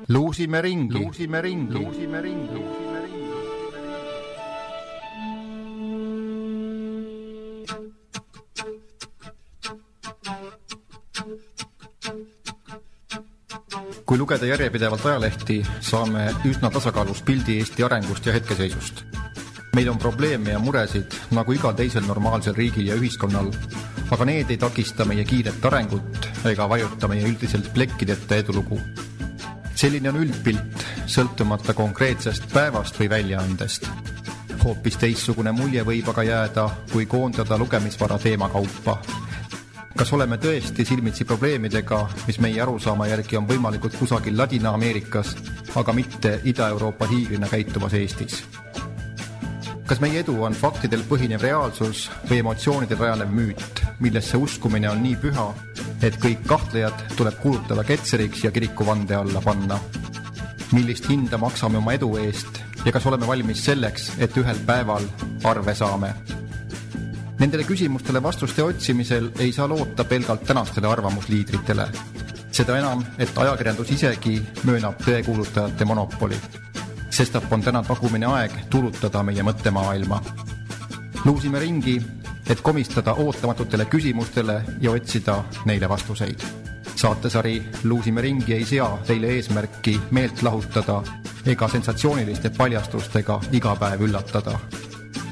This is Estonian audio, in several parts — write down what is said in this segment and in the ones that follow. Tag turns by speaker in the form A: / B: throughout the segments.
A: Luusime ringi. Kui lugeda järjepidevalt ajalehti, saame üsna tasakaalus pildi Eesti arengust ja hetkeseisust. Meil on probleeme ja muresid nagu igal teisel normaalsel riigil ja ühiskonnal, aga need ei takista meie kiiret arengut ega vajuta meie üldiselt plekkideta edulugu. Selline on üldpilt, sõltumata konkreetsest päevast või väljaandest. Hoopis teistsugune mulje võib aga jääda, kui koondada lugemisvara teemakaupa. Kas oleme tõesti silmitsi probleemidega, mis meie arusaama järgi on võimalikud kusagil Ladina-Ameerikas, aga mitte Ida-Euroopa hiiglina käituvas Eestis? Kas meie edu on faktidel põhinev reaalsus või emotsioonidel rajanev müüt, millesse uskumine on nii püha, et kõik kahtlejad tuleb kuulutada ketseriks ja kiriku vande alla panna? Millist hinda maksame oma edu eest ja kas oleme valmis selleks, et ühel päeval arve saame? Nendele küsimustele vastuste otsimisel ei saa loota pelgalt tänastele arvamusliidritele. Seda enam, et ajakirjandus isegi möönab tõekuulutajate monopoli. Sestap on täna tagumine aeg tuulutada meie mõttemaailma. Luusime ringi, et komistada ootamatutele küsimustele ja otsida neile vastuseid. Saatesari Luusime ringi ei sea teile eesmärki meelt lahutada ega sensatsiooniliste paljastustega iga päev üllatada.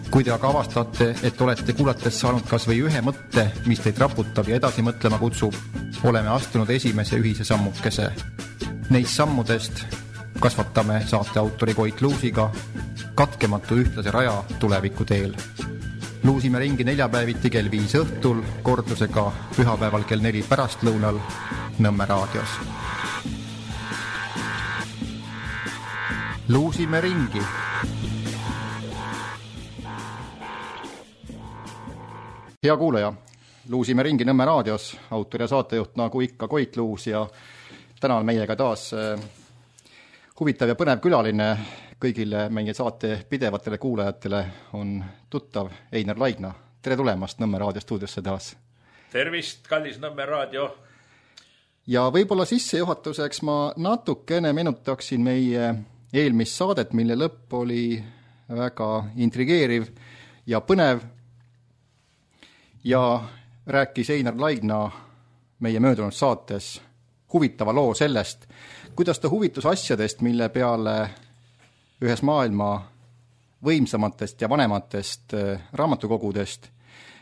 A: Kui te aga avastate, et olete kuulates saanud kas või ühe mõtte, mis teid raputab ja edasi mõtlema kutsub, oleme astunud esimese ühise sammukese. Neist sammudest kasvatame saate autori Koit Luusiga katkematu ühtlase raja tuleviku teel. Luusime ringi neljapäeviti kell 5 õhtul, kordusega pühapäeval kell 4 pärastlõunal Nõmme raadios. Luusime ringi. Hea kuulaja, Luusime ringi Nõmme raadios, autor ja saatejuht nagu ikka Koit Luus ja täna on meiega taas huvitav ja põnev külaline. Kõigile meie saate pidevatele kuulajatele on tuttav Einar Laigna. Tere tulemast Nõmme raadio stuudiosse taas.
B: Tervist, kallis Nõmme raadio.
A: Ja võib-olla sissejuhatuseks ma natukene meenutaksin meie eelmist saadet, mille lõpp oli väga intrigeeriv ja põnev. Ja rääkis Einar Laigna meie möödunud saates huvitava loo sellest, kuidas ta huvitus asjadest, mille peale ühes maailma võimsamatest ja vanematest raamatukogudest.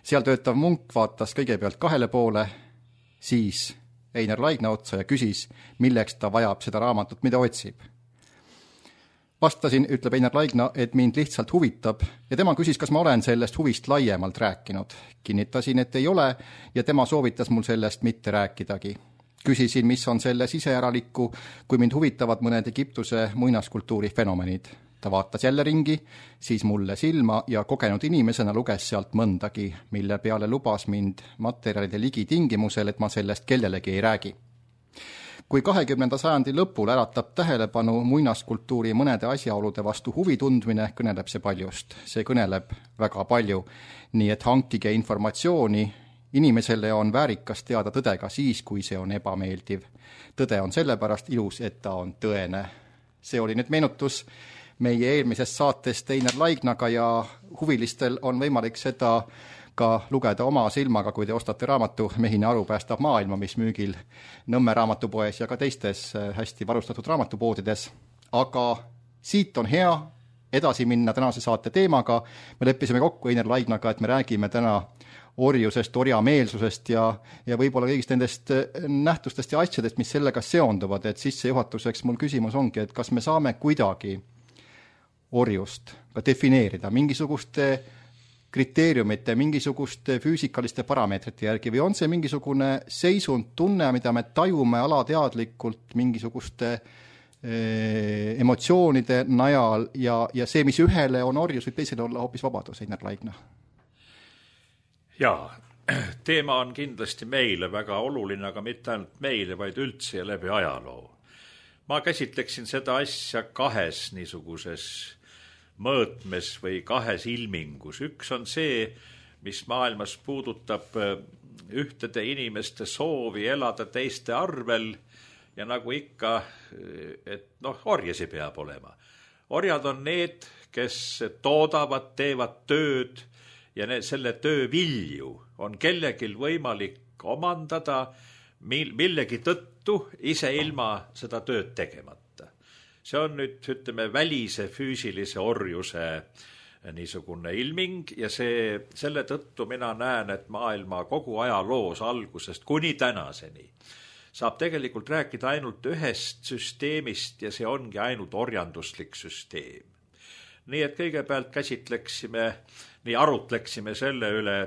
A: Seal töötav munk vaatas kõigepealt 2 poole, siis Einar Laigna otsa ja küsis, milleks ta vajab seda raamatut, mida otsib. Vastasin, ütleb Einar Laigna, et mind lihtsalt huvitab ja tema küsis, kas ma olen sellest huvist laiemalt rääkinud. Kinnitasin, et ei ole ja tema soovitas mul sellest mitte rääkidagi. Küsisin, mis on selle siseäralikku, kui mind huvitavad mõned Egiptuse muinaskultuuri fenomenid. Ta vaatas jälle ringi, siis mulle silma ja kogenud inimesena luges sealt mõndagi, mille peale lubas mind materjalide ligi tingimusel, et ma sellest kellelegi ei räägi. Kui 20. sajandi lõpul äratab tähelepanu muinaskultuuri mõnede asjaolude vastu huvi tundmine, kõneleb see paljust. See kõneleb väga palju, nii et hankige informatsiooni. Inimesele on väärikas teada tõde ka siis, kui see on ebameeldiv. Tõde on sellepärast ilus, et ta on tõene. See oli nüüd meenutus meie eelmisest saatest Einar Laignaga ja huvilistel on võimalik seda ka lugeda oma silmaga, kui te ostate raamatu Mehine aru päästab maailma, mis müügil Nõmme raamatupoes ja ka teistes hästi varustatud raamatupoodides. Aga siit on hea edasi minna tänase saate teemaga. Me leppisime kokku Einar Laignaga, et me räägime täna orjusest, orjameelsusest ja võib-olla kõigist nendest nähtustest ja asjadest, mis sellega seonduvad. Et sissejuhatuseks mul küsimus ongi, et kas me saame kuidagi orjust ka defineerida mingisuguste kriteeriumite, mingisuguste füüsikaliste parameetrite järgi või on see mingisugune seisund tunne, mida me tajume alateadlikult mingisuguste emotsioonide najal ja see, mis ühele on orjus, võib teisele olla hoopis vabadus, Einar Laigna?
B: Jaa, teema on kindlasti meile väga oluline, aga mitte ainult meile, vaid üldse ja läbi ajaloo. Ma käsitleksin seda asja 2 niisuguses mõõtmes või 2 ilmingus. Üks on see, mis maailmas puudutab ühtede inimeste soovi elada teiste arvel ja nagu ikka, et orjasi peab olema. Orjad on need, kes toodavad, teevad tööd ja selle töö vilju on kellelgi võimalik omandada millegi tõttu ise ilma seda tööd tegemata. See on nüüd, ütleme, välise füüsilise orjuse niisugune ilming ja selle tõttu mina näen, et maailma kogu ajaloos algusest kuni tänaseni saab tegelikult rääkida ainult ühest süsteemist ja see ongi ainult orjanduslik süsteem. Nii et kõigepealt arutleksime selle üle,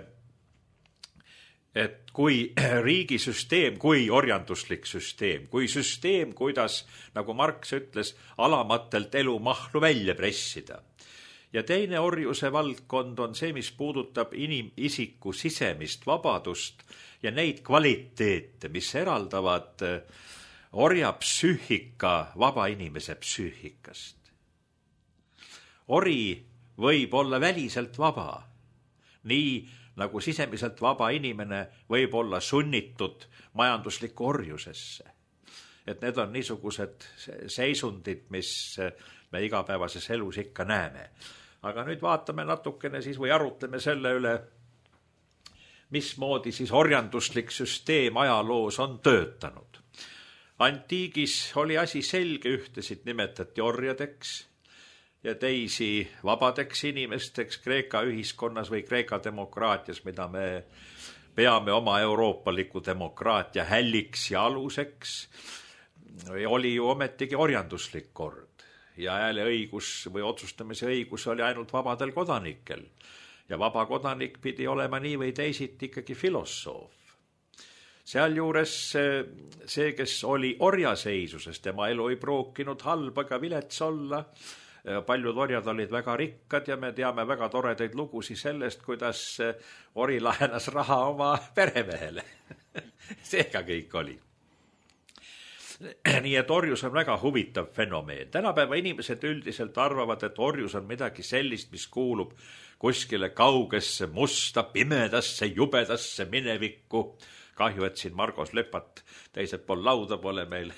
B: et kui riigisüsteem, kui orjanduslik süsteem, kui süsteem, kuidas, nagu Marx ütles, alamatelt elumahlu välja pressida. Ja teine orjuse valdkond on see, mis puudutab inimisiku sisemist vabadust ja neid kvaliteete, mis eraldavad orja psüühika vaba inimese psüühikast. Ori võib olla väliselt vaba, nii nagu sisemiselt vaba inimene võib olla sunnitud majanduslikku orjusesse. Et need on niisugused seisundid, mis me igapäevases elus ikka näeme. Aga nüüd vaatame natukene siis või arutleme selle üle, mismoodi siis orjanduslik süsteem ajaloos on töötanud. Antiigis oli asi selge, ühtesid nimetati orjadeks ja teisi vabadeks inimesteks Kreeka ühiskonnas või Kreeka demokraatias, mida me peame oma euroopaliku demokraatia hälliks ja aluseks, oli ju ometigi orjanduslik kord ja hääleõigus või otsustamise õigus oli ainult vabadel kodanikel ja vaba kodanik pidi olema nii või teisiti ikkagi filosoof. Sealjuures see, kes oli orjaseisuses, tema elu ei pruukinud halb ega vilets olla. Paljud orjad olid väga rikkad ja me teame väga toredaid lugusid sellest, kuidas ori laenas raha oma peremehele. Seega kõik oli. Nii et orjus on väga huvitav fenomeen. Tänapäeva inimesed üldiselt arvavad, et orjus on midagi sellist, mis kuulub kuskile kaugesse, musta, pimedasse, jubedasse minevikku. Kahju, et siin Margos Lepat teised pool lauda pole meil.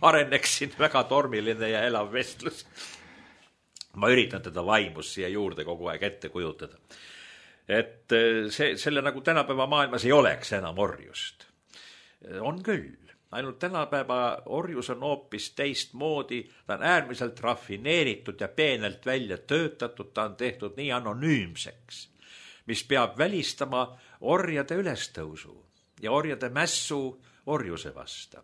B: Areneks siin väga tormiline ja elav vestlus. Ma üritan teda vaimus siia juurde kogu aeg ette kujutada. Et selle nagu tänapäeva maailmas ei oleks enam orjust. On küll. Ainult tänapäeva orjus on hoopis teistmoodi, ta on äärmiselt rafineeritud ja peenelt välja töötatud, ta on tehtud nii anonüümseks, mis peab välistama orjade ülestõusu ja orjade mässu orjuse vasta.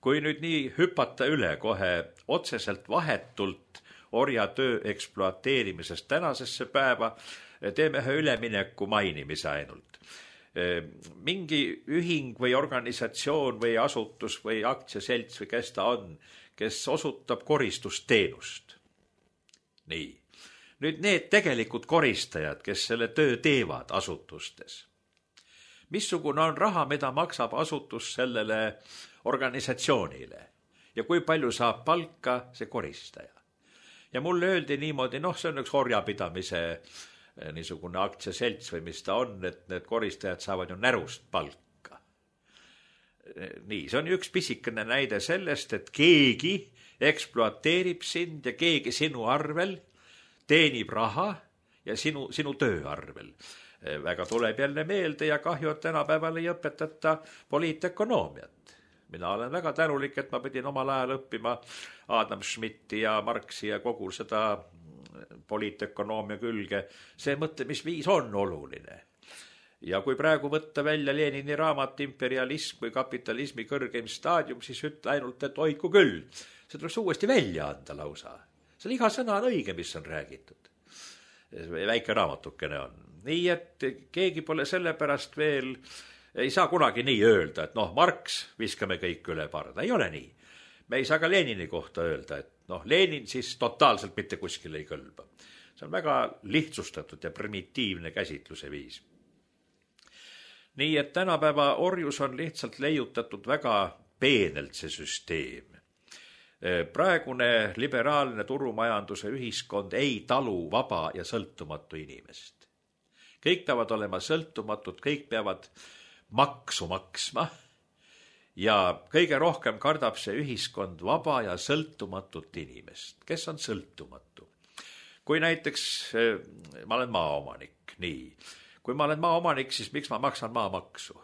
B: Kui nüüd nii hüpata üle kohe otseselt vahetult orja töö ekspluateerimisest tänasesse päeva, teeme ühe ülemineku mainimise ainult. Mingi ühing või organisatsioon või asutus või aktsiaselts või kes ta on, kes osutab koristusteenust. Nii. Nüüd need tegelikult koristajad, kes selle töö teevad asutustes. Missugune on raha, mida maksab asutus sellele organisatsioonile ja kui palju saab palka see koristaja. Ja mulle öeldi niimoodi, see on üks orjapidamise niisugune aktsiaselts või mis ta on, et need koristajad saavad ju närust palka. Nii, see on üks pisikene näide sellest, et keegi ekspluateerib sind ja keegi sinu arvel teenib raha ja sinu töö arvel. Väga tuleb jälle meelde ja kahju, et tänapäeval ei õpetata poliitökonoomiat. Mina olen väga tänulik, et ma pidin omal ajal õppima Adam Schmidti ja Marxi ja kogu seda poliitökonoomia külge. See mõtlemisviis on oluline. Ja kui praegu võtta välja Lenini raamat Imperialism või kapitalismi kõrgeim staadium, siis ütle ainult, et oiku küll. See tuleks uuesti välja anda lausa. Seal iga sõna on õige, mis on räägitud. Väike raamatukene on. Nii, et keegi pole sellepärast veel, ei saa kunagi nii öelda, et Marx viskame kõik üle parda. Ei ole nii. Me ei saa ka Lenini kohta öelda, et Lenin siis totaalselt mitte kuskile ei kõlba. See on väga lihtsustatud ja primitiivne käsitluse viis. Nii, et tänapäeva orjus on lihtsalt leiutatud väga peenelt see süsteem. Praegune liberaalne turumajanduse ühiskond ei talu vaba ja sõltumatu inimest. Kõik peavad olema sõltumatud, kõik peavad maksu maksma ja kõige rohkem kardab see ühiskond vaba ja sõltumatut inimest. Kes on sõltumatu? Kui näiteks ma olen maaomanik, nii. Kui ma olen maaomanik, siis miks ma maksan maamaksu?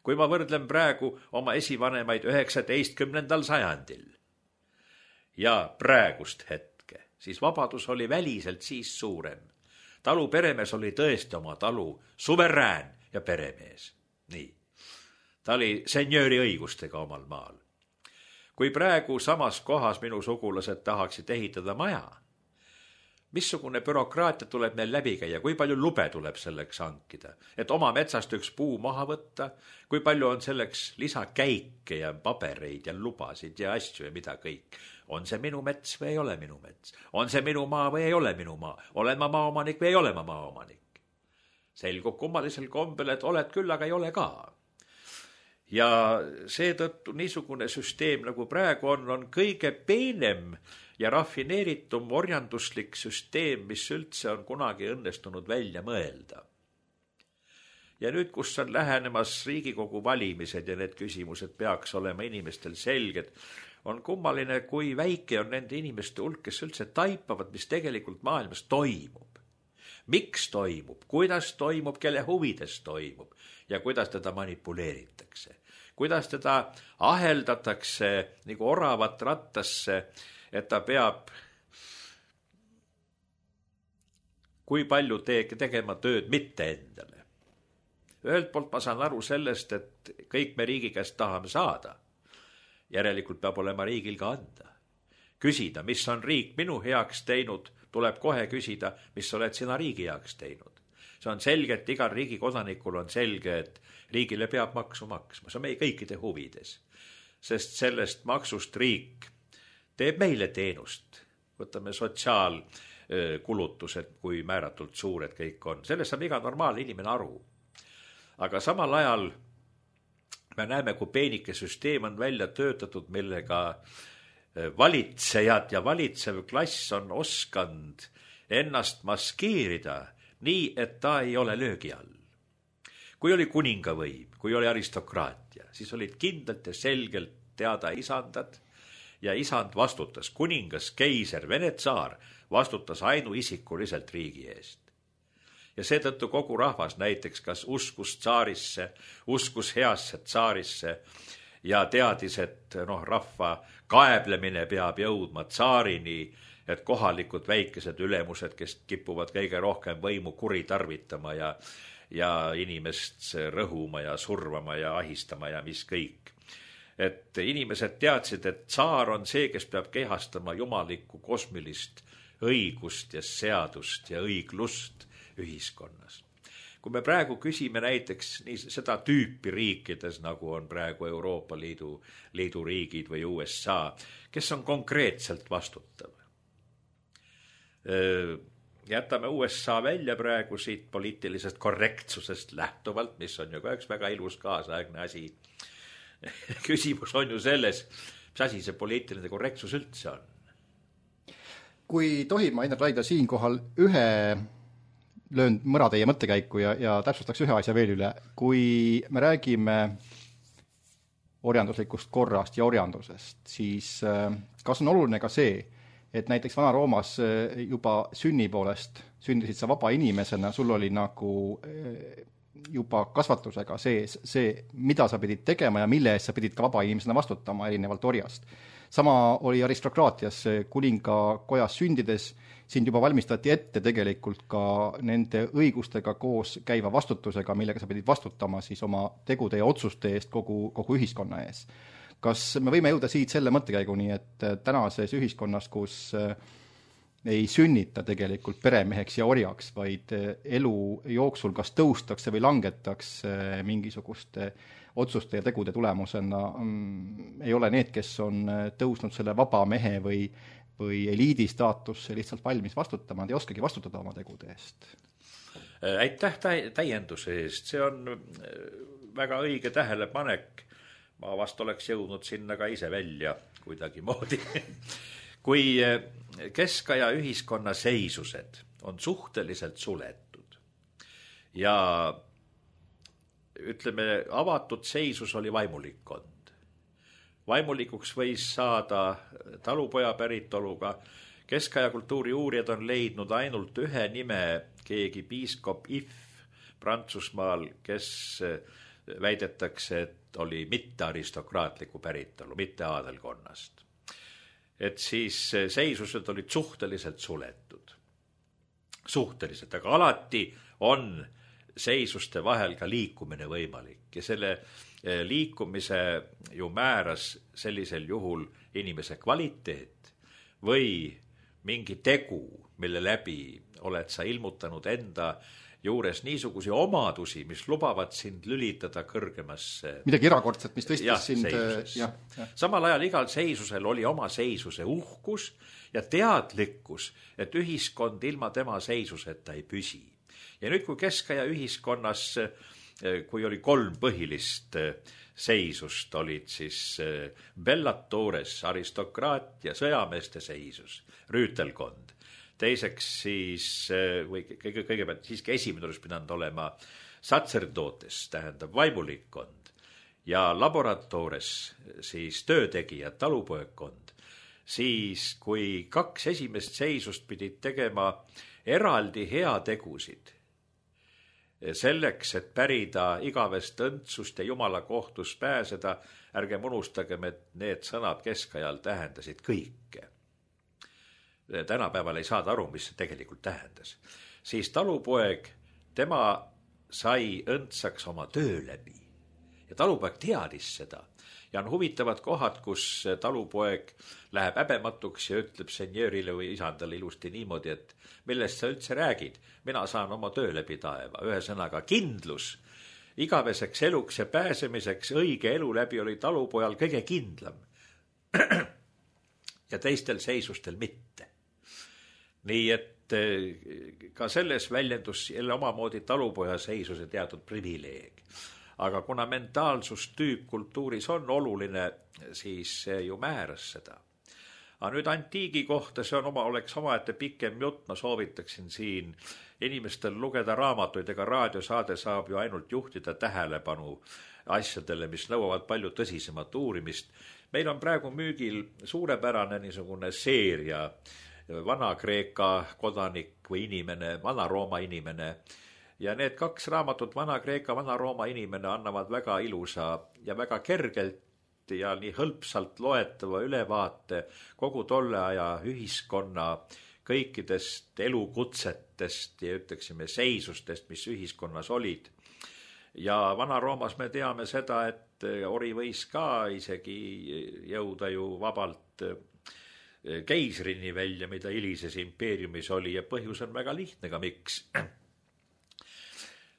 B: Kui ma võrdlen praegu oma esivanemaid 19. sajandil ja praegust hetke, siis vabadus oli väliselt siis suurem. Talu peremees oli tõesti oma talu suverään ja peremees. Nii. Ta oli senjööri õigustega omal maal. Kui praegu samas kohas minu sugulased tahaksid ehitada maja, missugune bürokraatia tuleb meil läbi käia, kui palju lube tuleb selleks hankida, et oma metsast üks puu maha võtta, kui palju on selleks lisakäike ja pabereid ja lubasid ja asju ja mida kõik. On see minu mets või ei ole minu mets? On see minu maa või ei ole minu maa? Olen ma maaomanik või ei ole ma maaomanik? Selgub kummalisel kombel, et oled küll, aga ei ole ka. Ja seetõttu niisugune süsteem nagu praegu on kõige peenem ja rafineeritum orjanduslik süsteem, mis üldse on kunagi õnnestunud välja mõelda. Ja nüüd, kus on lähenemas Riigikogu valimised ja need küsimused peaks olema inimestel selged, on kummaline, kui väike on nende inimeste hulk, kes üldse taipavad, mis tegelikult maailmas toimub. Miks toimub, kuidas toimub, kelle huvides toimub ja kuidas teda manipuleeritakse. Kuidas teda aheldatakse nagu oravat rattasse, et ta peab kui palju tegema tööd mitte endale. Ühelt poolt ma saan aru sellest, et kõik me riigi käest tahame saada. Järelikult peab olema riigil ka anda. Küsida, mis on riik minu heaks teinud, tuleb kohe küsida, mis oled sina riigi heaks teinud. See on selge, et igal riigi kodanikul on selge, et riigile peab maksu maksma. See on meie kõikide huvides. Sest sellest maksust riik teeb meile teenust. Võtame sotsiaalkulutused, kui määratult suured kõik on. Sellest saab iga normaalne inimene aru. Aga samal ajal me näeme, kui peenike süsteem on välja töötatud, millega valitsejad ja valitsev klass on oskanud ennast maskeerida nii, et ta ei ole löögi all. Kui oli kuningavõim, kui oli aristokraatia, siis olid kindlalt ja selgelt teada isandad ja isand vastutas. Kuningas, keiser, Vene tsaar vastutas ainuisikuliselt riigi eest. Ja seetõttu kogu rahvas näiteks kas uskus tsaarisse, uskus heasse tsaarisse ja teadis, et rahva kaeblemine peab jõudma tsaarini, et kohalikud väikesed ülemused, kes kipuvad kõige rohkem võimu kuritarvitama ja inimest rõhuma ja survama ja ahistama ja mis kõik. Et inimesed teadsid, et tsaar on see, kes peab kehastama jumalikku kosmilist õigust ja seadust ja õiglust ühiskonnas. Kui me praegu küsime näiteks seda tüüpi riikides, nagu on praegu Euroopa Liidu riigid või USA, kes on konkreetselt vastutav? Jätame USA välja praegu siit poliitilisest korrektsusest lähtuvalt, mis on ju ka üks väga ilus kaasaegne asi. Küsimus on ju selles, mis asi see poliitiline korrektsus üldse on.
A: Kui tohib, ma Einar Raidla siinkohal löön mõra teie mõttekäiku ja täpsustaks ühe asja veel üle. Kui me räägime orjanduslikust korrast ja orjandusest, siis kas on oluline ka see, et näiteks Vana-Roomas juba sünni poolest sündisid sa vaba inimesena, sul oli nagu juba kasvatusega see, mida sa pidid tegema ja mille eest sa pidid ka vaba inimesena vastutama erinevalt orjast. Sama oli aristokraatias kuningakojas sündides, sind juba valmistati ette tegelikult ka nende õigustega koos käiva vastutusega, millega sa pidid vastutama siis oma tegude ja otsuste eest kogu ühiskonna ees. Kas me võime jõuda siit selle mõttekäiguni, et tänases ühiskonnas, kus ei sünnita tegelikult peremeheks ja orjaks, vaid elu jooksul kas tõustakse või langetakse mingisuguste otsuste ja tegude tulemusena, ei ole need, kes on tõusnud selle vaba mehe või eliidi staatusse lihtsalt valmis vastutama, nad ei oskagi vastutada oma tegude eest.
B: Aitäh täienduse eest, see on väga õige tähelepanek. Ma vast oleks jõudnud sinna ka ise välja kuidagi moodi. Kui keskaja ühiskonna seisused on suhteliselt suletud ja ütleme, avatud seisus oli vaimulikkond. Vaimulikuks võis saada talupoja päritoluga. Keskaja kultuuri uurijad on leidnud ainult ühe nime, keegi piiskop If Prantsusmaal, kes väidetakse, et oli mitte aristokraatliku päritolu, mitte aadelkonnast. Et siis seisused olid suhteliselt suletud. Suhteliselt, aga alati on seisuste vahel ka liikumine võimalik ja selle liikumise ju määras sellisel juhul inimese kvaliteet või mingi tegu, mille läbi oled sa ilmutanud enda juures niisugusi omadusi, mis lubavad sind lülitada kõrgemasse.
A: Midagi erakordset, mis tõstis sind.
B: Samal ajal igal seisusel oli oma seisuse uhkus ja teadlikkus, et ühiskond ilma tema seisuseta ei püsi. Ja nüüd, kui keskaja ühiskonnas, kui oli 3 põhilist seisust, olid siis bellatores, aristokraatia, sõjameeste seisus, rüütelkond. Teiseks siis, või kõigepealt siiski esimene oleks pidanud olema sacerdotes, tähendab vaimulikkond, ja laboratores siis töötegijad, talupoegkond. Siis, kui 2 esimest seisust pidid tegema eraldi heategusid, selleks, et pärida igavest õndsust ja Jumala kohtus pääseda, ärgem unustagem, et need sõnad keskajal tähendasid kõike. Tänapäeval ei saada aru, mis see tegelikult tähendas. Siis talupoeg, tema sai õndsaks oma töö läbi. Ja talupoeg teadis seda. Ja on huvitavad kohad, kus talupoeg läheb häbematuks ja ütleb senjöörile või isandale ilusti niimoodi, et millest sa üldse räägid? Mina saan oma töö läbi taeva. Ühesõnaga kindlus igaveseks eluks ja pääsemiseks õige elu läbi oli talupojal kõige kindlam. Ja teistel seisustel mitte. Nii et ka selles väljendus jälle omamoodi talupoja seisuse teatud privileeg. Aga kuna mentaalsustüüp kultuuris on oluline, siis see ju määras seda. Aga nüüd antiigi kohta, see oleks omaette pikem jutt, ma soovitaksin siin inimestel lugeda raamatuid, ega raadiosaade saab ju ainult juhtida tähelepanu asjadele, mis nõuavad palju tõsisemat uurimist. Meil on praegu müügil suurepärane niisugune seeria, Vana-Kreeka kodanik või inimene, Vana-Rooma inimene. Ja need 2 raamatut, Vana-Kreeka, Vana-Rooma inimene, annavad väga ilusa ja väga kergelt ja nii hõlpsalt loetava ülevaate kogu tolle aja ühiskonna kõikidest elukutsetest ja ütleksime seisustest, mis ühiskonnas olid. Ja Vana-Roomas me teame seda, et ori võis ka isegi jõuda ju vabalt keisrini välja, mida hilises impeeriumis oli ja põhjus on väga lihtne ka miks.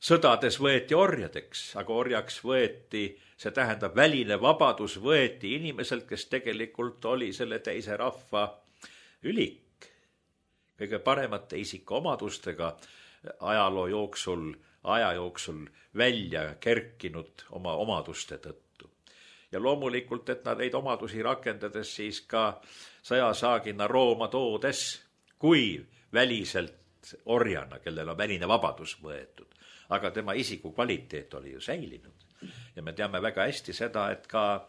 B: Sõdades võeti orjadeks, aga orjaks võeti, see tähendab väline vabadus võeti inimeselt, kes tegelikult oli selle teise rahva ülik. Kõige paremate isikuomadustega aja jooksul välja kerkinud oma omaduste tõttu. Ja loomulikult, et nad neid omadusi rakendades siis ka sõjasaagina Rooma toodes, kui väliselt orjana, kellel on väline vabadus võetud. Aga tema isiku kvaliteet oli ju säilinud. Ja me teame väga hästi seda, et ka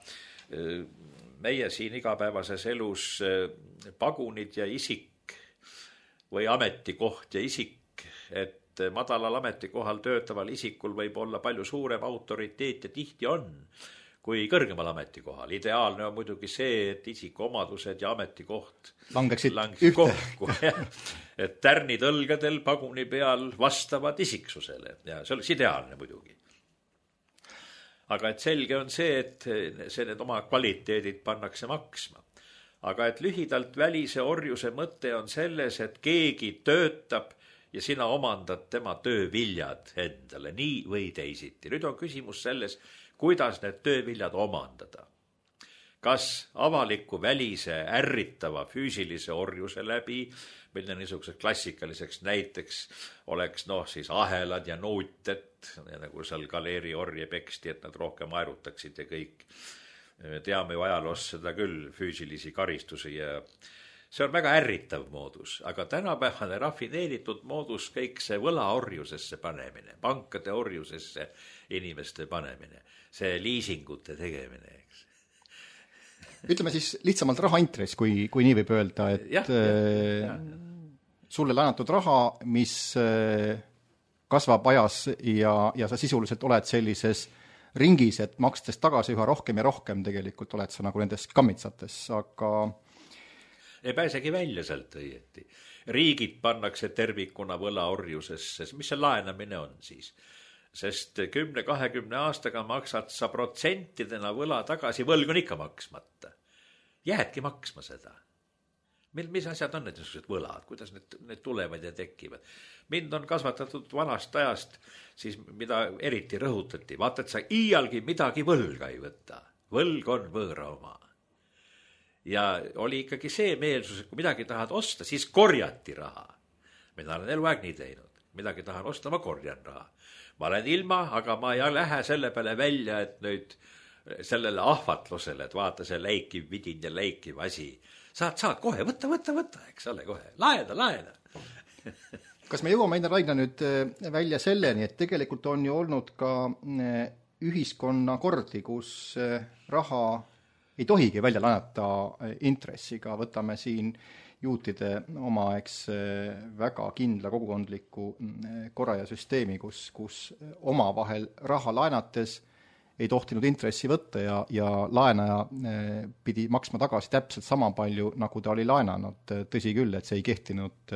B: meie siin igapäevases elus pagunid ja isik või ametikoht ja isik, et madalal ametikohal töötaval isikul võib olla palju suurem autoriteet ja tihti on kui kõrgemal ametikohal. Ideaalne on muidugi see, et isikuomadused ja ametikoht langeksid kokku. Et tärnid õlgadel paguni peal vastavad isiksusele ja see oleks ideaalne muidugi. Aga et selge on see, et need oma kvaliteedid pannakse maksma. Aga et lühidalt välise orjuse mõte on selles, et keegi töötab ja sina omandad tema tööviljad endale, nii või teisiti. Nüüd on küsimus selles, kuidas need tööviljad omandada. Kas avaliku välise ärritava füüsilise orjuse läbi, mille niisuguseks klassikaliseks näiteks oleks siis ahelad ja nuuted, nagu seal galeeri orje peksti, et nad rohkem aerutaksid ja kõik. Me teame ju ajaloos seda küll, füüsilisi karistusi ja see on väga ärritav moodus, aga tänapäevane rafineeritud moodus, kõik see võlaorjusesse panemine, pankade orjusesse inimeste panemine, see liisingute tegemine, eks.
A: Ütleme siis lihtsamalt rahaintress, kui nii võib öelda, et sulle laenatud raha, mis kasvab ajas ja sa sisuliselt oled sellises ringis, et makstes tagasi üha rohkem ja rohkem tegelikult oled sa nagu nendes kammitsates, aga
B: ei pääsegi välja sealt õieti. Riigid pannakse tervikuna võlaorjusesse, mis see laenamine on siis? Sest 10-20 aastaga maksad sa protsentidena võla tagasi, võlg on ikka maksmata. Jäädki maksma seda. Mis asjad on need võlad, kuidas need tulevad ja tekivad? Mind on kasvatatud vanast ajast, siis mida eriti rõhutati, vaata, et sa iialgi midagi võlga ei võta. Võlg on võõra oma. Ja oli ikkagi see meelsus, et kui midagi tahad osta, siis korjati raha. Mina olen eluaeg nii teinud. Midagi tahan osta, ma korjan raha. Ma olen ilma, aga ma ei lähe selle peale välja, et nüüd sellele ahvatlusele, et vaata see läikiv vidin ja läikiv asi. Saad kohe, võtta, eks ole kohe. Laena.
A: Kas me jõuame, Einar Raidla, nüüd välja selleni, et tegelikult on ju olnud ka ühiskonna kordi, kus raha ei tohigi välja laenata intressiga, võtame siin juutide omaaegse väga kindla kogukondliku korra ja süsteemi, kus omavahel raha laenates ei tohtinud intressi võtta ja laenaja pidi maksma tagasi täpselt sama palju, nagu ta oli laenanud. Tõsi küll, et see ei kehtinud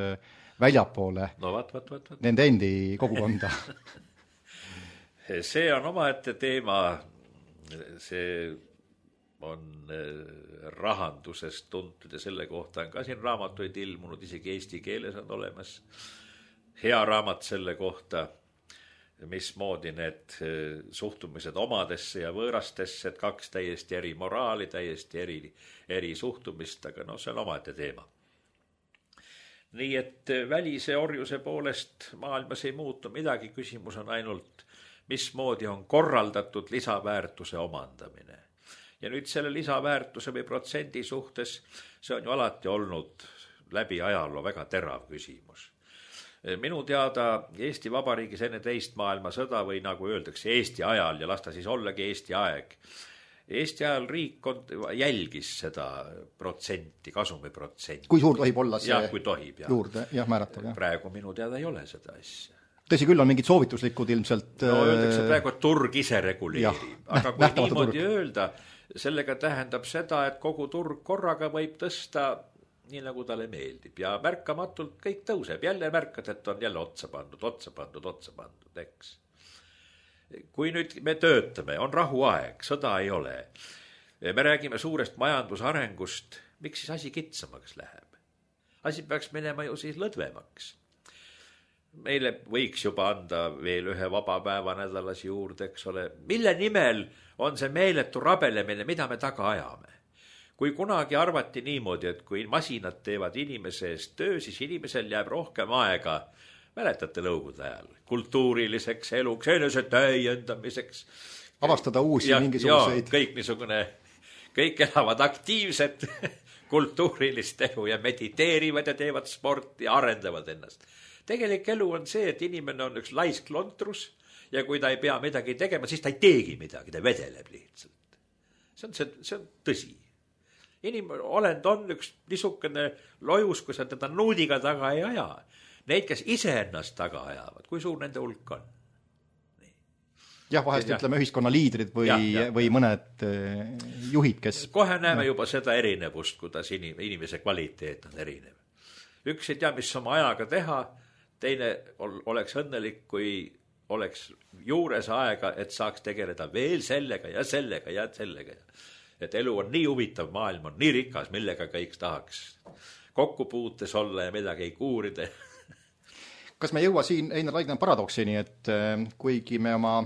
A: väljapoole nende endi kogukonda.
B: See on omaette teema, see on rahandusest tuntud ja selle kohta on ka siin raamatuid ilmunud, isegi eesti keeles on olemas hea raamat selle kohta, mismoodi need suhtumised omadesse ja võõrastesse, et kaks täiesti eri moraali, täiesti eri suhtumist, aga see on omaette teema. Nii et välise orjuse poolest maailmas ei muutu midagi, küsimus on ainult, mismoodi on korraldatud lisaväärtuse omandamine. Ja nüüd selle lisaväärtuse või protsendi suhtes, see on ju alati olnud läbi ajaloo väga terav küsimus. Minu teada Eesti Vabariigis enne teist maailmasõda või nagu öeldakse Eesti ajal ja las ta siis ollagi Eesti aeg. Eesti ajal riik jälgis seda protsenti, kasumiprotsenti.
A: Kui suur tohib olla see
B: kui tohib,
A: juurde määratav?
B: Praegu minu teada ei ole seda asja.
A: Tõsi küll, on mingid soovituslikud ilmselt...
B: öeldakse praegu, et turg ise reguleerib. Aga kui niimoodi öelda, sellega tähendab seda, et kogu turg korraga võib tõsta nii nagu talle meeldib ja märkamatult kõik tõuseb. Jälle märkad, et on jälle otsa pandud, eks. Kui nüüd me töötame, on rahuaeg, sõda ei ole. Me räägime suurest majandusarengust, miks siis asi kitsamaks läheb? Asi peaks minema ju siis lõdvemaks. Meile võiks juba anda veel ühe vaba päeva nädalas juurde, eks ole. Mille nimel on see meeletu rabelemine, mida me taga ajame? Kui kunagi arvati niimoodi, et kui masinad teevad inimese eest töö, siis inimesel jääb rohkem aega, mäletate nõukogude ajal, kultuuriliseks eluks, enese täiendamiseks.
A: Avastada uusi mingisuguseid.
B: Kõik niisugune, kõik elavad aktiivset kultuurilist elu ja mediteerivad ja teevad sporti ja arendavad ennast. Tegelik elu on see, et inimene on üks laisk lontrus ja kui ta ei pea midagi tegema, siis ta ei teegi midagi, ta vedeleb lihtsalt. See on tõsi. Olend on üks niisugune lojus, kui sa teda nuudiga taga ei aja. Neid, kes ise ennast taga ajavad, kui suur nende hulk on? Nii.
A: Jah, vahest ütleme ühiskonna liidrid või mõned juhid, kes...
B: Kohe näeme juba seda erinevust, kuidas inimese kvaliteet on erinev. Üks ei tea, mis oma ajaga teha, teine oleks õnnelik, kui oleks juures aega, et saaks tegeleda veel sellega ja sellega ja sellega. Et elu on nii huvitav, maailm on nii rikas, millega kõik tahaks kokkupuutes olla ja midagi ei kuurida.
A: Kas me jõua siin Einar Raidla paradoksini, et kuigi me oma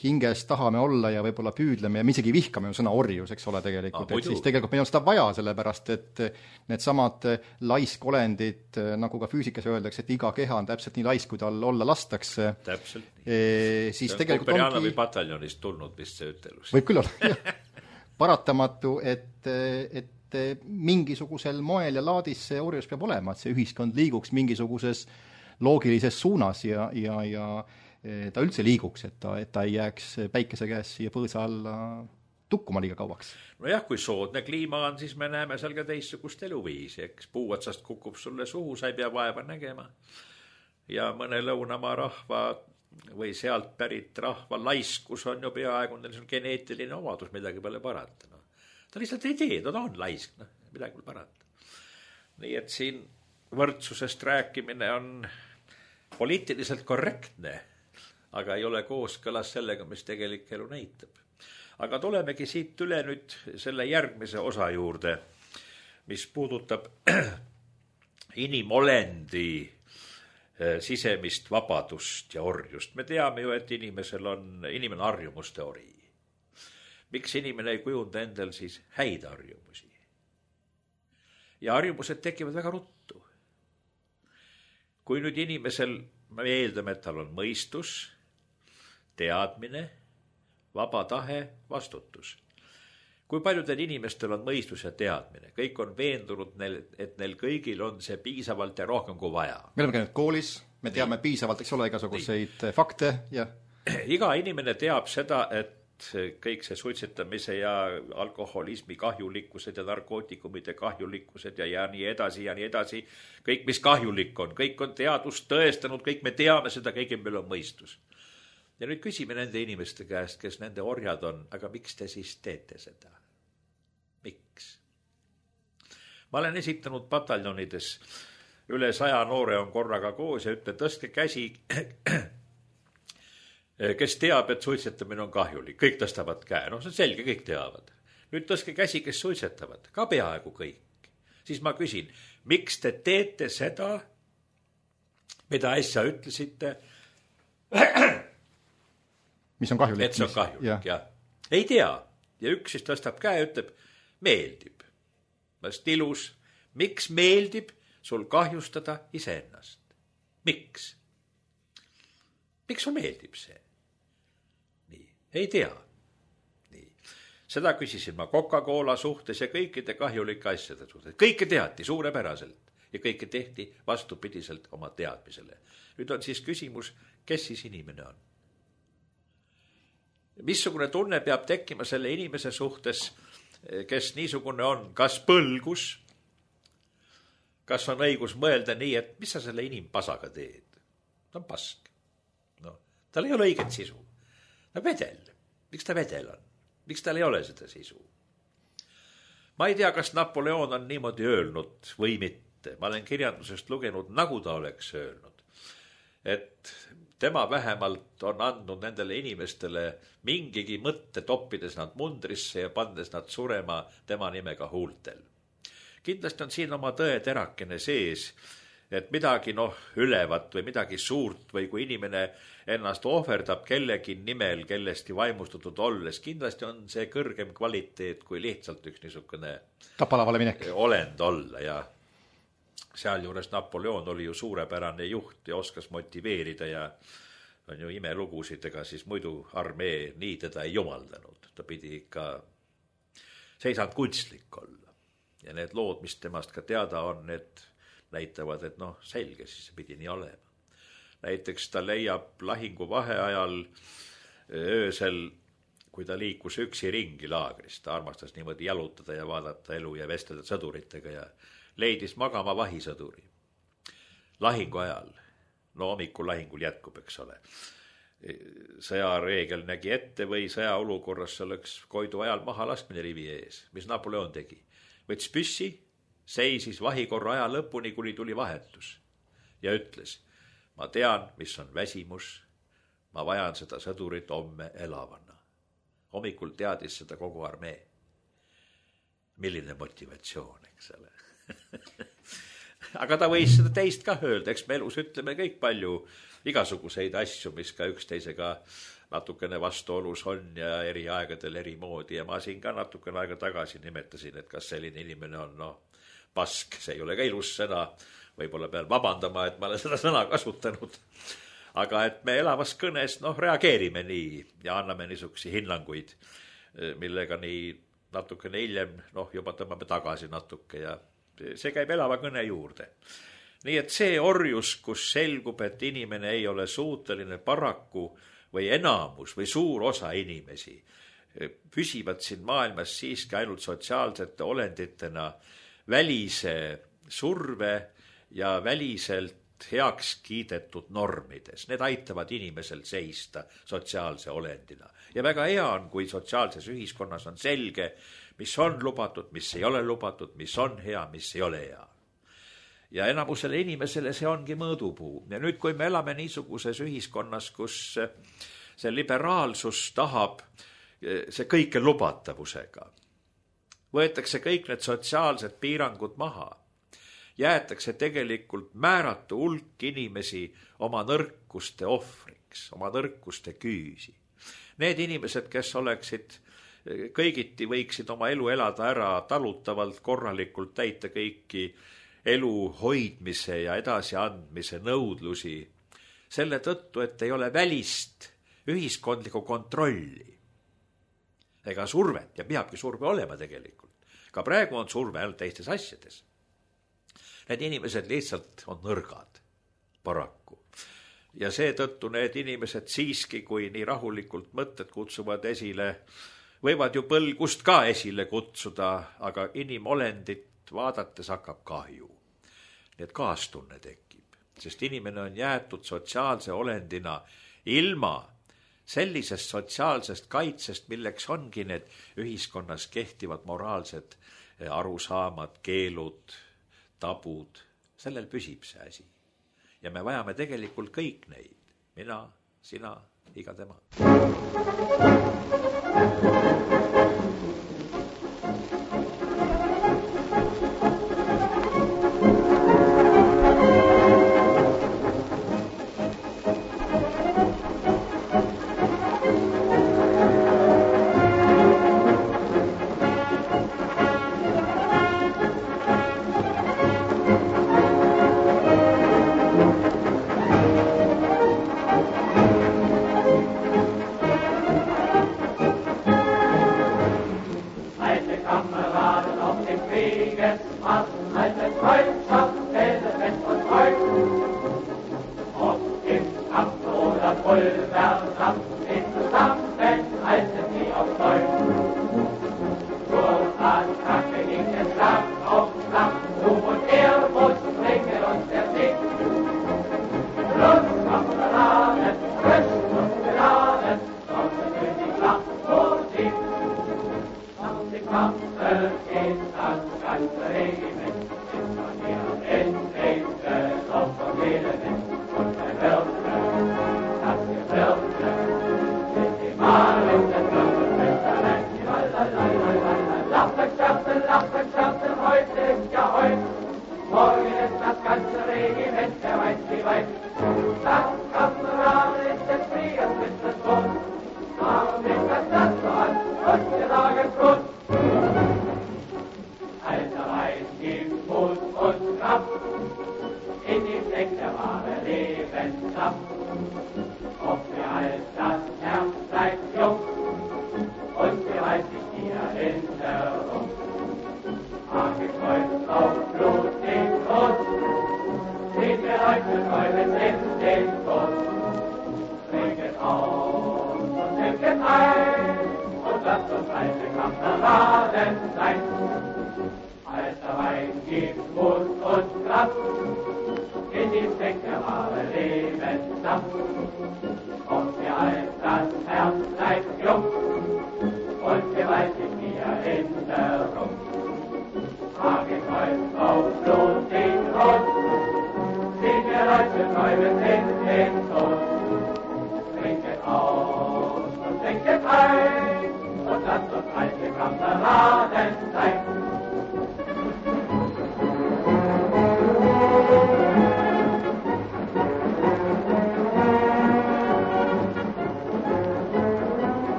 A: hinges tahame olla ja võib-olla püüdleme ja me isegi vihkame sõna orjus, eks ole tegelikult, et siis tegelikult meil on seda vaja, sellepärast et need samad laiskolendid, nagu ka füüsikas öeldakse, et iga keha on täpselt nii laisk, kui tal olla lastakse.
B: Täpselt.
A: Siis
B: see on Kuperjanovi pataljonist tulnud vist see ütelus.
A: Võib küll olla, jah. Paratamatu, et et mingisugusel moel ja laadis see orjus peab olema, et see ühiskond liiguks mingisuguses loogilises suunas ja ta üldse liiguks, et ta ei jääks päikese käes siia põõsa alla tukkuma liiga kauaks.
B: Nojah, kui soodne kliima on, siis me näeme seal ka teistsugust eluviisi, eks puu otsast kukub sulle suhu, sa ei pea vaeva nägema. Ja mõne lõunamaa rahva või sealt pärit rahva laiskus on ju peaaegu, neil on geneetiline omadus, midagi pole parata. No. Ta lihtsalt ei tee, ta on laisk, no, midagi pole parata. Nii et siin võrdsusest rääkimine on poliitiliselt korrektne, aga ei ole kooskõlas sellega, mis tegelik elu näitab. Aga tulemegi siit üle nüüd selle järgmise osa juurde, mis puudutab inimolendi sisemist vabadust ja orjust. Me teame ju, et inimene harjumuste ori. Miks inimene ei kujunda endal siis häid harjumusi? Ja harjumused tekivad väga ruttu. Kui nüüd inimesel, me eeldame, et tal on mõistus, teadmine, vaba tahe, vastutus. Kui paljudel inimestel on mõistus ja teadmine, kõik on veendunud, et neil kõigil on see piisavalt ja rohkem kui vaja.
A: Me oleme käinud koolis, me teame piisavalt, eks ole, igasuguseid fakte ja
B: iga inimene teab seda, et kõik see suitsetamise ja alkoholismi kahjulikkused ja narkootikumide kahjulikkused ja nii edasi, kõik mis kahjulik on, kõik on teadust tõestanud, kõik me teame seda, kõigil meil on mõistus. Ja nüüd küsime nende inimeste käest, kes nende orjad on, aga miks te siis teete seda? Miks? Ma olen esitanud pataljonides, üle 100 noore on korraga koos ja ütle, tõstke käsi, kes teab, et suitsetamine on kahjulik. Kõik tõstavad käe, no see on selge, kõik teavad. Nüüd tõstke käsi, kes suitsetavad, ka peaaegu kõik. Siis ma küsin, miks te teete seda, mida äsja ütlesite,
A: mis on kahjulik.
B: Et see on kahjulik, jah. Ei tea. Ja üks siis tõstab käe ja ütleb, meeldib. Vast ilus. Miks meeldib sul kahjustada iseennast? Miks? Miks sul meeldib see? Nii. Ei tea. Nii. Seda küsisin ma Coca-Cola suhtes ja kõikide kahjulike asjade suhtes. Kõike teati suurepäraselt ja kõike tehti vastupidiselt oma teadmisele. Nüüd on siis küsimus, kes siis inimene on? Missugune tunne peab tekkima selle inimese suhtes, kes niisugune on, kas põlgus, kas on õigus mõelda nii, et mis sa selle inimpasaga teed? Ta on pask. No, tal ei ole õiget sisu. No vedel. Miks ta vedel on? Miks tal ei ole seda sisu? Ma ei tea, kas Napoleon on niimoodi öelnud või mitte. Ma olen kirjandusest lugenud, nagu ta oleks öelnud. Et tema vähemalt on andnud nendele inimestele mingigi mõtte, toppides nad mundrisse ja pandes nad surema tema nimega huultel. Kindlasti on siin oma tõe terakene sees, et midagi ülevat või midagi suurt või kui inimene ennast ohverdab kellegi nimel, kellesti vaimustatud olles, kindlasti on see kõrgem kvaliteet kui lihtsalt üks niisugune
A: tapalavale minek
B: olend olla ja sealjuures Napoleon oli ju suurepärane juht ja oskas motiveerida ja on ju imelugusidega, siis muidu armee nii teda ei jumaldanud. Ta pidi ikka seisanud kunstlik olla. Ja need lood, mis temast ka teada on, need näitavad, et selge, siis see pidi nii olema. Näiteks ta leiab lahingu vaheajal öösel, kui ta liikus üksi ringi laagrist. Ta armastas niimoodi jalutada ja vaadata elu ja vestelda sõduritega ja leidis magama vahisõduri. Lahingu ajal, hommikul lahingul jätkub, eks ole. Sõjareegel nägi ette või sõjaolukorras oleks Koidu ajal maha laskmine rivi ees. Mis Napoleon tegi? Võts püssi, seisis vahikorra aja lõpuni, kuni tuli vahetus ja ütles, ma tean, mis on väsimus, ma vajan seda sõdurit homme elavana. Hommikul teadis seda kogu armee. Milline motivatsioon, eks ole. Aga ta võis seda teist ka öelda, eks me elus ütleme kõik palju igasuguseid asju, mis ka üksteisega natukene vastuolus on ja eri aegadel eri moodi ja ma siin ka natukene aega tagasi nimetasin, et kas selline inimene on pask, see ei ole ka ilus sõna, võib-olla pean vabandama, et ma olen seda sõna kasutanud, aga et me elavas kõnes reageerime nii ja anname niisugusi hinnanguid, millega nii natukene hiljem, juba tõmbame tagasi natuke ja see käib elava kõne juurde. Nii et see orjus, kus selgub, et inimene ei ole suuteline paraku või enamus või suur osa inimesi püsivad siin maailmas siiski ainult sotsiaalsete olenditena välise surve ja väliselt heaks kiidetud normides. Need aitavad inimesel seista sotsiaalse olendina. Ja väga hea on, kui sotsiaalses ühiskonnas on selge, mis on lubatud, mis ei ole lubatud, mis on hea, mis ei ole hea. Ja enamusele inimesele see ongi mõõdupuu. Ja nüüd, kui me elame niisuguses ühiskonnas, kus see liberaalsus tahab see kõike lubatavusega, võetakse kõik need sotsiaalsed piirangud maha, jäetakse tegelikult määratu hulk inimesi oma nõrkuste ohvriks, oma nõrkuste küüsi. Need inimesed, kes oleksid kõigiti, võiksid oma elu elada ära talutavalt, korralikult täita kõiki elu hoidmise ja edasiandmise nõudlusi, selle tõttu, et ei ole välist ühiskondlikku kontrolli ega survet, ja peabki surve olema tegelikult. Ka praegu on surve ainult teistes asjades. Need inimesed lihtsalt on nõrgad, paraku. Ja seetõttu need inimesed siiski, kui nii rahulikult mõtted kutsuvad esile, võivad ju põlgust ka esile kutsuda, aga inimolendit vaadates hakkab kahju. Nii et kaastunne tekib, sest inimene on jäetud sotsiaalse olendina ilma sellisest sotsiaalsest kaitsest, milleks ongi need ühiskonnas kehtivad moraalsed arusaamad, keelud, tabud. Sellel püsib see asi. Ja me vajame tegelikult kõik neid. Mina, sina, iga tema.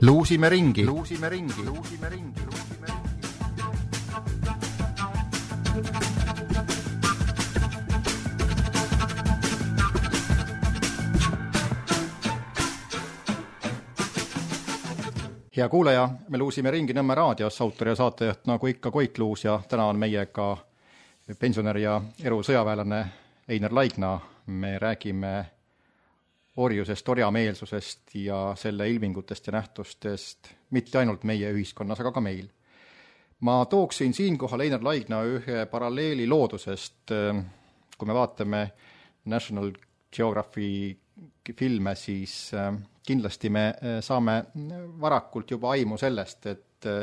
A: Luusime ringi. Hea kuulaja, me luusime ringi Nõmme raadios, autor ja saatejuht nagu ikka Koit Luus ja täna on meiega pensionär ja erusõjaväelane Einar Laigna. Me räägime orjusest, orjameelsusest ja selle ilmingutest ja nähtustest mitte ainult meie ühiskonnas, aga ka meil. Ma tooksin siinkohal Einar Laigna ühe paralleeli loodusest. Kui me vaatame National Geography filme, siis kindlasti me saame varakult juba aimu sellest, et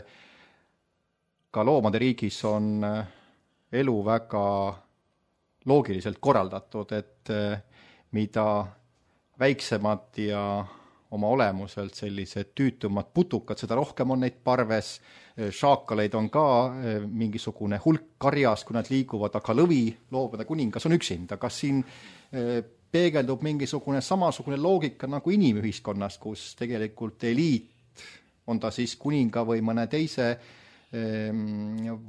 A: ka loomade riigis on elu väga loogiliselt korraldatud, et mida väiksemad ja oma olemuselt sellised tüütumad putukad, seda rohkem on neid parves, šaakaleid on ka mingisugune hulk karjas, kui nad liiguvad, aga lõvi, loomade kuningas on üksinda. Kas siin peegeldub mingisugune samasugune loogika nagu inimühiskonnas, kus tegelikult eliit, on ta siis kuninga või mõne teise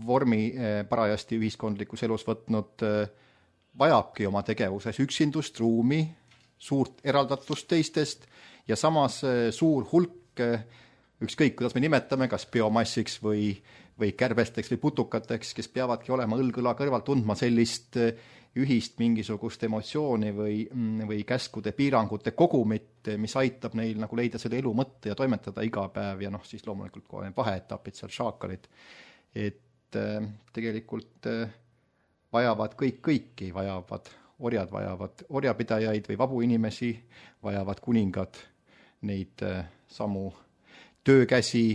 A: vormi parajasti ühiskondlikus elus võtnud, vajabki oma tegevuses üksindust, ruumi, suurt eraldatust teistest ja samas suur hulk, ükskõik kuidas me nimetame, kas biomassiks või kärbesteks või putukateks, kes peavadki olema õlg-õla kõrval tundma sellist ühist mingisugust emotsiooni või käskude piirangute kogumit, mis aitab neil nagu leida selle elu mõtte ja toimetada iga päev ja siis loomulikult kohe vaheetapid seal šaakalid. Et tegelikult vajavad kõiki, orjad vajavad orjapidajaid või vabu inimesi, vajavad kuningad neid samu töökäsi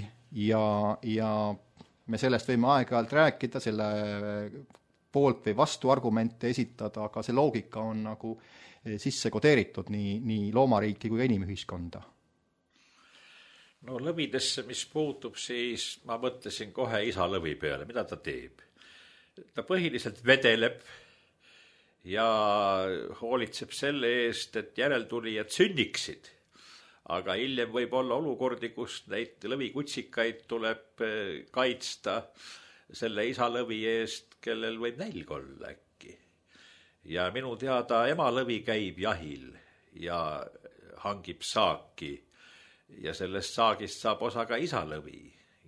A: ja me sellest võime aeg-ajalt rääkida, selle poolt või vastu argumente esitada, aga see loogika on nagu sisse kodeeritud nii loomariiki kui ka inimühiskonda.
B: No lõvidesse, mis puutub, siis ma mõtlesin kohe isa lõvi peale, mida ta teeb. Ta põhiliselt vedeleb ja hoolitseb selle eest, et järeltulijad sünniksid. Aga hiljem võib olla olukordi, kus neid lõvikutsikaid tuleb kaitsta selle isa lõvi eest, kellel võib nälg olla äkki. Ja minu teada ema lõvi käib jahil ja hangib saaki ja sellest saagist saab osa ka isa lõvi.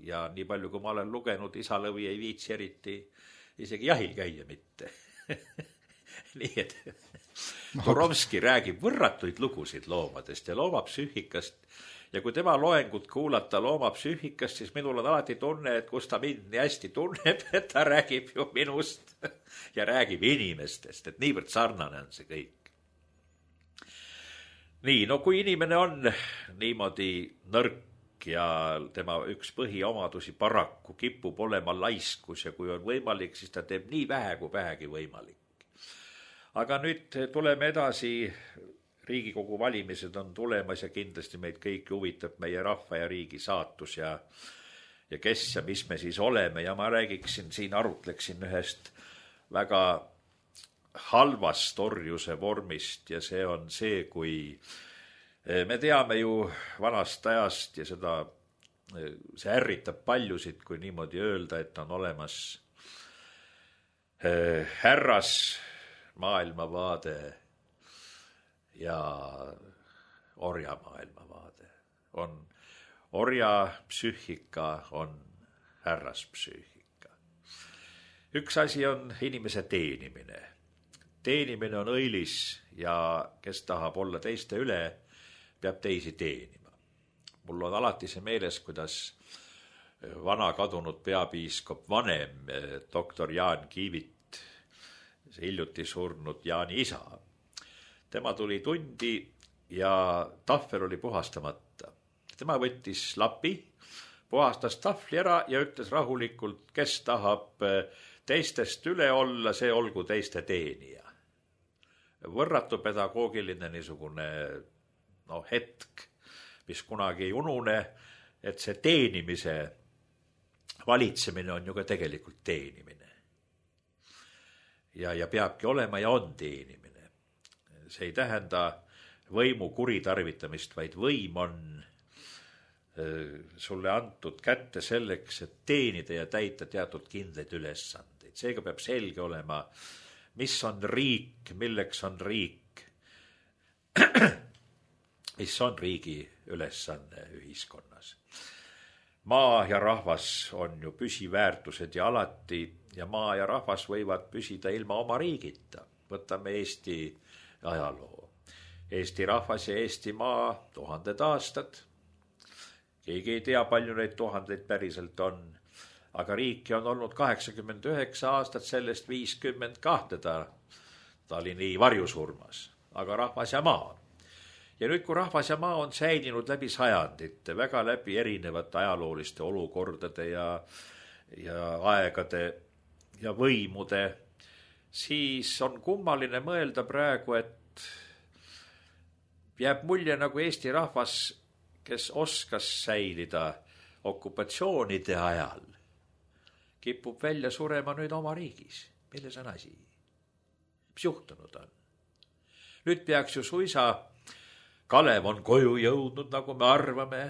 B: Ja nii palju, kui ma olen lugenud, isa lõvi ei viitsi eriti isegi jahil käia mitte. Nii et Turovski räägib võrratuid lugusid loomadest ja loomapsüühikast. Ja kui tema loengut kuulata loomapsüühikast, siis minul on alati tunne, et kus ta mind nii hästi tunneb, et ta räägib ju minust ja räägib inimestest, et niivõrd sarnane on see kõik. Nii, no kui inimene on niimoodi nõrk ja tema üks põhiomadusi paraku kipub olema laiskus ja kui on võimalik, siis ta teeb nii vähe kui vähegi võimalik. Aga nüüd tuleme edasi. Riigikogu valimised on tulemas ja kindlasti meid kõiki huvitab meie rahva ja riigi saatus ja kes ja mis me siis oleme. Ja ma räägiksin siin, arutleksin ühest väga halvast orjuse vormist ja see on see, kui me teame ju vanast ajast ja see ärritab paljusid, kui niimoodi öelda, et on olemas härras maailmavaade ja orja maailmavaade. On orja psüühika, on härras psüühika. Üks asi on inimese teenimine. Teenimine on õilis ja kes tahab olla teiste üle, peab teisi teenima. Mul on alati see meeles, kuidas vana kadunud peapiiskop vanem, doktor Jaan Kiivit, see hiljuti surnud Jaani isa. Tema tuli tundi ja tahvel oli puhastamata. Tema võttis lapi, puhastas tahvli ära ja ütles rahulikult, kes tahab teistest üle olla, see olgu teiste teenija. Võrratu pedagoogiline niisugune hetk, mis kunagi ei unune, et see teenimise valitsemine on ju ka tegelikult teenimine. Ja peabki olema ja on teenimine. See ei tähenda võimu kuritarvitamist, vaid võim on sulle antud kätte selleks, et teenida ja täita teatud kindlaid ülesandeid. Seega peab selge olema, mis on riik, milleks on riik, mis on riigi ülesanne ühiskonnas. Maa ja rahvas on ju püsiväärtused ja alati ja maa ja rahvas võivad püsida ilma oma riigita. Võtame Eesti ajaloo. Eesti rahvas ja Eesti maa 1000 aastad. Keegi ei tea, palju neid 1000 päriselt on. Aga riiki on olnud 89 aastat, sellest 52 ta oli nii varjusurmas. Aga rahvas ja maa. Ja nüüd, kui rahvas ja maa on säilinud läbi sajandite, väga läbi erinevate ajalooliste olukordade ja aegade ja võimude, siis on kummaline mõelda praegu, et jääb mulje nagu Eesti rahvas, kes oskas säilida okupatsioonide ajal, kipub välja surema nüüd oma riigis. Milles on asi? Mis juhtunud on? Nüüd peaks ju suisa Kalev on koju jõudnud, nagu me arvame,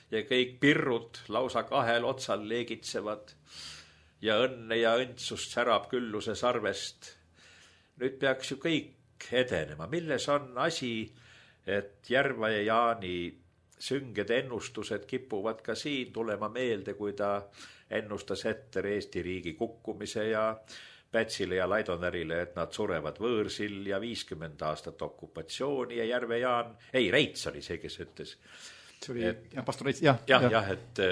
B: ja kõik pirrud lausa kahel otsal leegitsevad ja õnne ja õndsust särab külluse sarvest. Nüüd peaks ju kõik edenema. Milles on asi, et Järva ja Jaani sünged ennustused kipuvad ka siin tulema meelde, kui ta ennustas ette Eesti riigi kukkumise ja Pätsile ja Laidonärile, et nad surevad võõrsil ja 50 aastat okupatsiooni ja Järve Jaan, Reits oli see, kes ütles.
A: See oli, pastor Reits,
B: et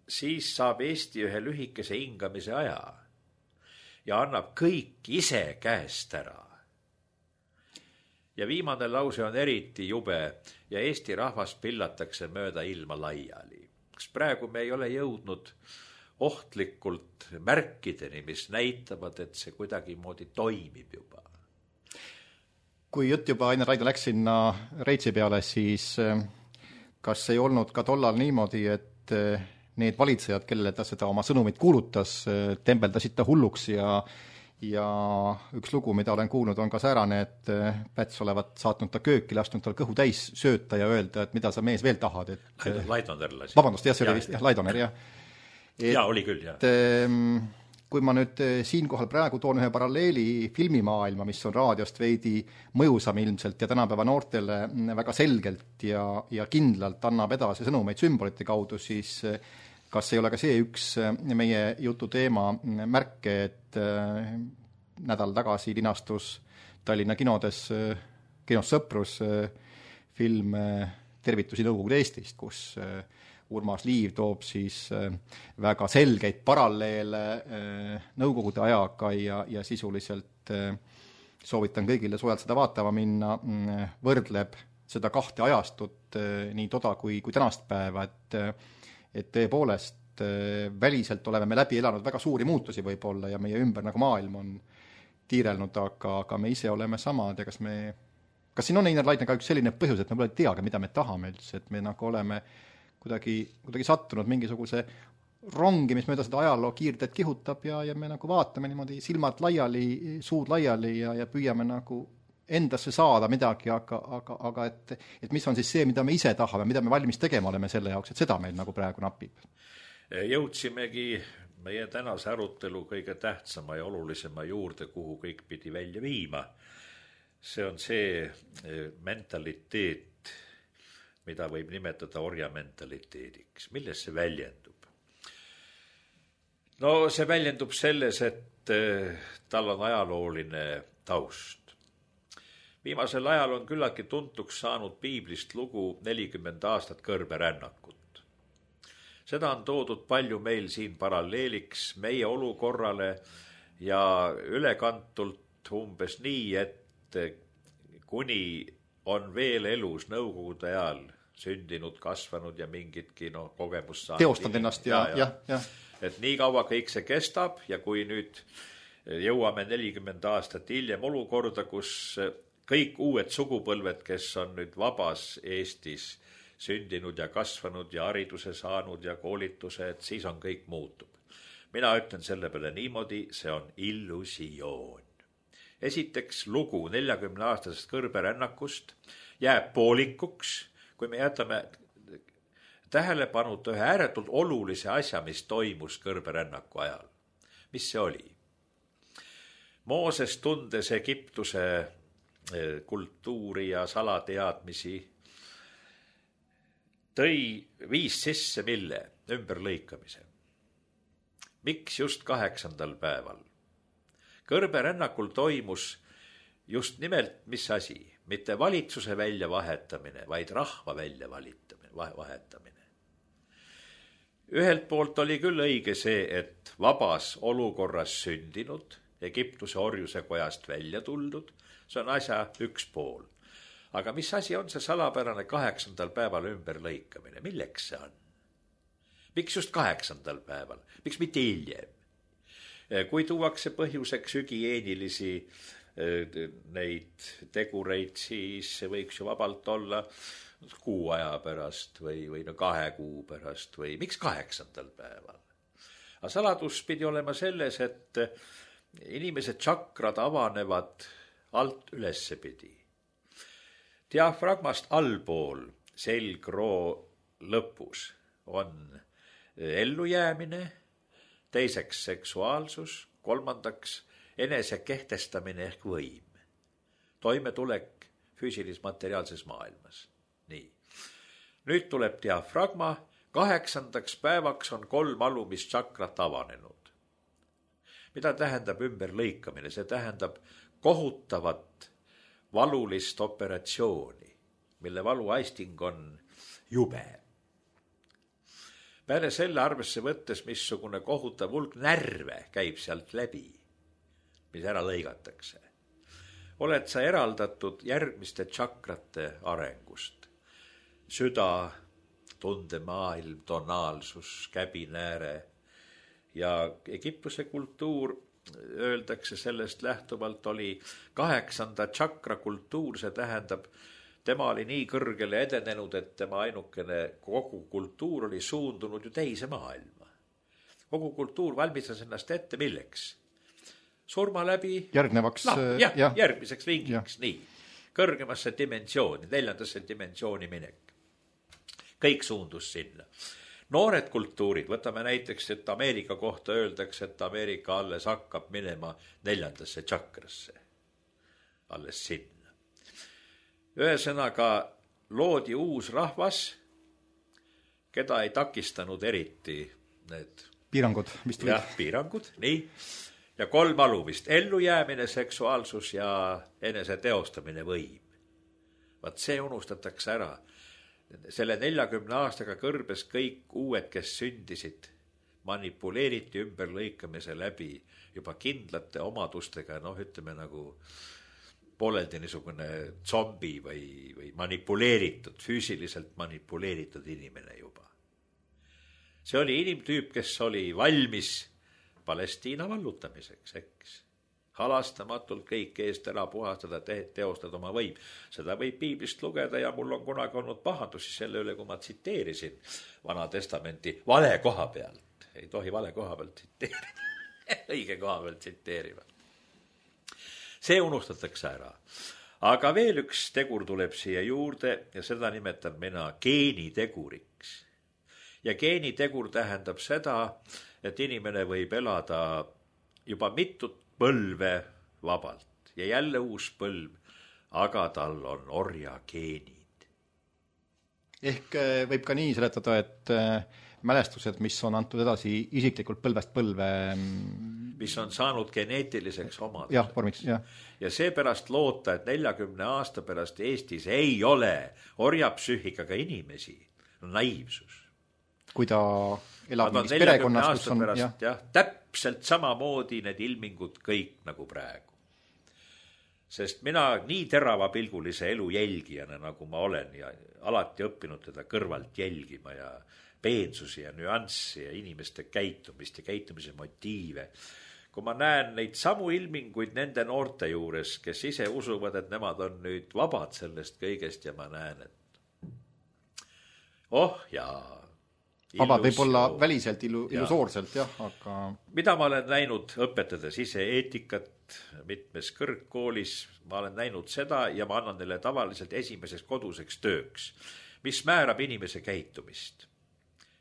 B: siis saab Eesti ühe lühikese hingamise aja ja annab kõik ise käest ära. Ja viimane lause on eriti jube ja Eesti rahvas pillatakse mööda ilma laiali. Kas praegu me ei ole jõudnud ohtlikult märkideni, mis näitavad, et see kuidagi moodi toimib juba?
A: Kui jutt juba Ainar Raidla läks sinna Reitsi peale, siis kas ei olnud ka tollal niimoodi, et need valitsejad, kellele ta seda oma sõnumit kuulutas, tembeldasid ta hulluks ja üks lugu, mida olen kuulnud, on ka säärane, et Päts olevat saatnud ta kööki, lasknud tal kõhu täis sööta ja öelda, et mida sa mees veel tahad.
B: Laidoner lasi.
A: Vabandust, see oli vist Laidoner, jah.
B: Oli küll, jah.
A: Kui ma nüüd siinkohal praegu toon ühe paralleeli filmimaailma, mis on raadiost veidi mõjusam ilmselt ja tänapäeva noortele väga selgelt ja kindlalt annab edasi sõnumeid sümbolite kaudu, siis kas ei ole ka see üks meie jutu teema märke, et nädal tagasi linastus Tallinna kinos Sõprus film Tervitusi Nõukogude Eestist, kus Urmas Liiv toob siis väga selgeid paralleele Nõukogude ajaga ja sisuliselt soovitan kõigile soojalt seda vaatama minna, võrdleb seda kahte ajastut, nii toda kui tänast päeva, et tõepoolest väliselt oleme me läbi elanud väga suuri muutusi võib-olla ja meie ümber nagu maailm on tiirelnud, aga me ise oleme samad ja kas siin on Einar Laidna ka üks selline põhjus, et me pole teagi, mida me tahame üldse, et me nagu oleme kuidagi sattunud mingisuguse rongi, mis mööda seda ajaloo kiirteed kihutab ja me nagu vaatame niimoodi silmad laiali, suud laiali ja püüame nagu endasse saada midagi, aga et mis on siis see, mida me ise tahame, mida me valmis tegema oleme selle jaoks, et seda meil nagu praegu napib.
B: Jõudsimegi meie tänase arutelu kõige tähtsama ja olulisema juurde, kuhu kõik pidi välja viima. See on see mentaliteet, mida võib nimetada orjamentaliteediks. Milles see väljendub? No see väljendub selles, et tal on ajalooline taust. Viimasel ajal on küllaki tuntuks saanud piiblist lugu 40 aastat kõrberännakut. Seda on toodud palju meil siin paralleeliks meie olukorrale ja ülekantult umbes nii, et kuni on veel elus Nõukogude ajal sündinud, kasvanud ja mingitki kogemust saanud.
A: Teostanud ennast ja.
B: Et nii kaua kõik see kestab ja kui nüüd jõuame 40 aastat hiljem olukorda, kus kõik uued sugupõlved, kes on nüüd vabas Eestis sündinud ja kasvanud ja hariduse saanud ja koolituse, et siis on kõik muutub. Mina ütlen selle peale niimoodi, see on illusioon. Esiteks lugu 40-aastasest kõrberännakust jääb poolikuks, kui me jätame tähelepanu ühe ääretult olulise asja, mis toimus kõrberännaku ajal. Mis see oli? Mooses, tundes Egiptuse kultuuri ja salateadmisi, viis sisse mille? Ümberlõikamise. Miks just 8. päeval? Kõrberännakul toimus just nimelt mis asi? Mitte valitsuse väljavahetamine, vaid rahva väljavahetamine. Ühelt poolt oli küll õige see, et vabas olukorras sündinud, Egiptuse orjuse kojast välja tuldud, see on asja üks pool. Aga mis asi on see salapärane 8. päeval ümberlõikamine? Milleks see on? Miks just 8. päeval? Miks mitte hiljem? Kui tuuakse põhjuseks hügieenilisi neid tegureid, siis see võiks ju vabalt olla kuu aja pärast või 2 kuu pärast või miks 8. päeval? Aga saladus pidi olema selles, et inimese tšakrad avanevad alt ülessepidi. Diafragmast allpool selgroo lõpus on ellujäämine, teiseks seksuaalsus, kolmandaks enese kehtestamine ehk võim. Toimetulek füüsilis-materiaalses maailmas. Nii. Nüüd tuleb diafragma, 8. päevaks on 3 alumist tšakrat avanenud. Mida tähendab ümberlõikamine? See tähendab kohutavat valulist operatsiooni, mille valuaisting on jube. Peale selle arvesse võttes, missugune kohutav hulk närve käib sealt läbi, mis ära lõigatakse. Oled sa eraldatud järgmiste tšakrate arengust. Süda, tundemaailm, tonaalsus, käbinääre ja Egiptuse kultuur, öeldakse sellest lähtuvalt, oli 8. tšakra kultuur, see tähendab, tema oli nii kõrgele edenenud, et tema ainukene kogu kultuur oli suundunud ju teise maailma. Kogu kultuur valmistas ennast ette milleks? Surma läbi
A: järgnevaks
B: järgmiseks ringiks, nii. Kõrgemasse dimensiooni, 4. dimensiooni minek. Kõik suundus sinna. Noored kultuurid, võtame näiteks, et Ameerika kohta öeldakse, et Ameerika alles hakkab minema 4. tšakrasse. Alles sinna. Ühesõnaga loodi uus rahvas, keda ei takistanud eriti need
A: piirangud, mis tulid.
B: Jah, piirangud, nii. Ja 3 alumist, ellujäämine, seksuaalsus ja enese teostamine võim. Vaat see unustatakse ära. Selle 40 aastaga kõrbes kõik uued, kes sündisid, manipuleeriti ümberlõikamise läbi juba kindlate omadustega, ütleme nagu pooleldi niisugune zombi või manipuleeritud, füüsiliselt manipuleeritud inimene juba. See oli inimtüüp, kes oli valmis Palestiina vallutamiseks, eks. Halastamatult kõik eest ära puhastada, teostada oma võim. Seda võib piiblist lugeda ja mul on kunagi olnud pahandusi selle üle, kui ma tsiteerisin Vana Testamenti vale koha pealt. Ei tohi vale koha pealt tsiteerida. Õige koha pealt tsiteerima. See unustatakse ära. Aga veel üks tegur tuleb siia juurde ja seda nimetan mina geeniteguriks. Ja geenitegur tähendab seda, et inimene võib elada juba mitut põlve vabalt ja jälle uus põlv, aga tal on orja geenid.
A: Ehk võib ka nii seletada, et mälestused, mis on antud edasi isiklikult põlvest põlve,
B: mis on saanud geneetiliseks omaduseks.
A: Jah, vormiks, jah.
B: Ja seepärast loota, et 40 aasta pärast Eestis ei ole orjapsüühikaga inimesi, naiivsus.
A: Kui ta elab mingis perekonnas, kus on
B: pärast, täpselt samamoodi need ilmingud kõik nagu praegu. Sest mina nii teravapilgulise elu jälgijana, nagu ma olen ja alati õppinud teda kõrvalt jälgima ja peensusi ja nüanssi ja inimeste käitumist ja käitumise motiive. Kui ma näen neid samu ilminguid nende noorte juures, kes ise usuvad, et nemad on nüüd vabad sellest kõigest ja ma näen, et
A: vabad võib olla väliselt illusoorselt, aga
B: mida ma olen näinud õpetades ise eetikat mitmes kõrgkoolis, ma olen näinud seda ja ma annan neile tavaliselt esimeseks koduseks tööks, mis määrab inimese käitumist.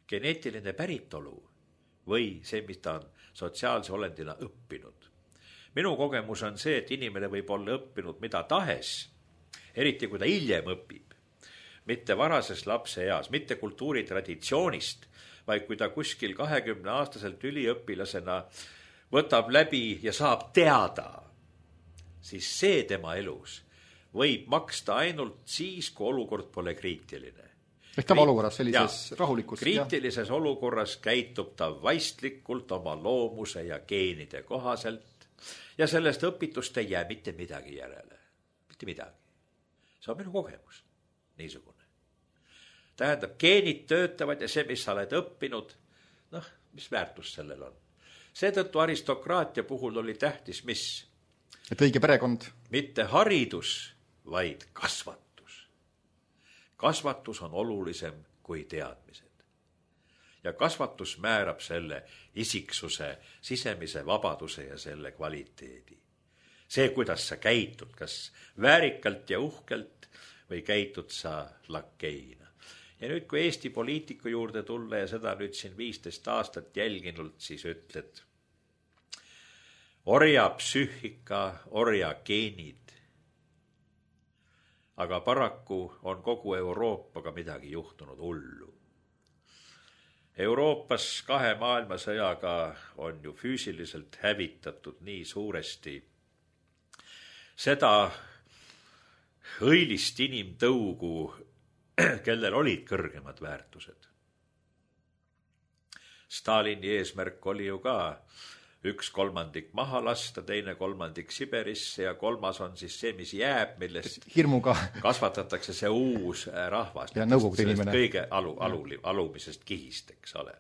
B: geneetiline päritolu või see, mis ta on sotsiaalse olendina õppinud. Minu kogemus on see, et inimene võib olla õppinud mida tahes, eriti kui ta hiljem õpib, mitte varases lapseeas, mitte kultuuritraditsioonist, vaid kui ta kuskil 20-aastaselt üliõpilasena võtab läbi ja saab teada, siis see tema elus võib maksta ainult siis, kui olukord pole kriitiline.
A: Ehk tavaolukorras sellises rahulikus.
B: Kriitilises olukorras käitub ta vaistlikult oma loomuse ja geenide kohaselt ja sellest õpitust ei jää mitte midagi järele. Mitte midagi. See on minu kogemus. Niisugune. Tähendab, geenid töötavad ja see, mis sa oled õppinud, mis väärtus sellel on. Seetõttu aristokraatia puhul oli tähtis, mis?
A: Et õige perekond.
B: Mitte haridus, vaid kasvatus. Kasvatus on olulisem kui teadmised. Ja kasvatus määrab selle isiksuse, sisemise vabaduse ja selle kvaliteedi. See, kuidas sa käitud, kas väärikalt ja uhkelt või käitud sa lakkeina. Ja nüüd, kui Eesti poliitiku juurde tulla ja seda nüüd siin 15 aastat jälginult, siis ütled, orja psüühika, orja geenid. Aga paraku on kogu Euroopaga midagi juhtunud hullu. Euroopas 2 maailmasõjaga on ju füüsiliselt hävitatud nii suuresti seda õilist inimtõugu, kellel olid kõrgemad väärtused. Stalini eesmärk oli ju ka 1/3 maha lasta, 2/3 Siberisse ja 3 on siis see, mis jääb, millest
A: hirmuga
B: kasvatatakse see uus rahvas.
A: Ja nõukogude inimene.
B: Kõige alumisest kihist, eks ole.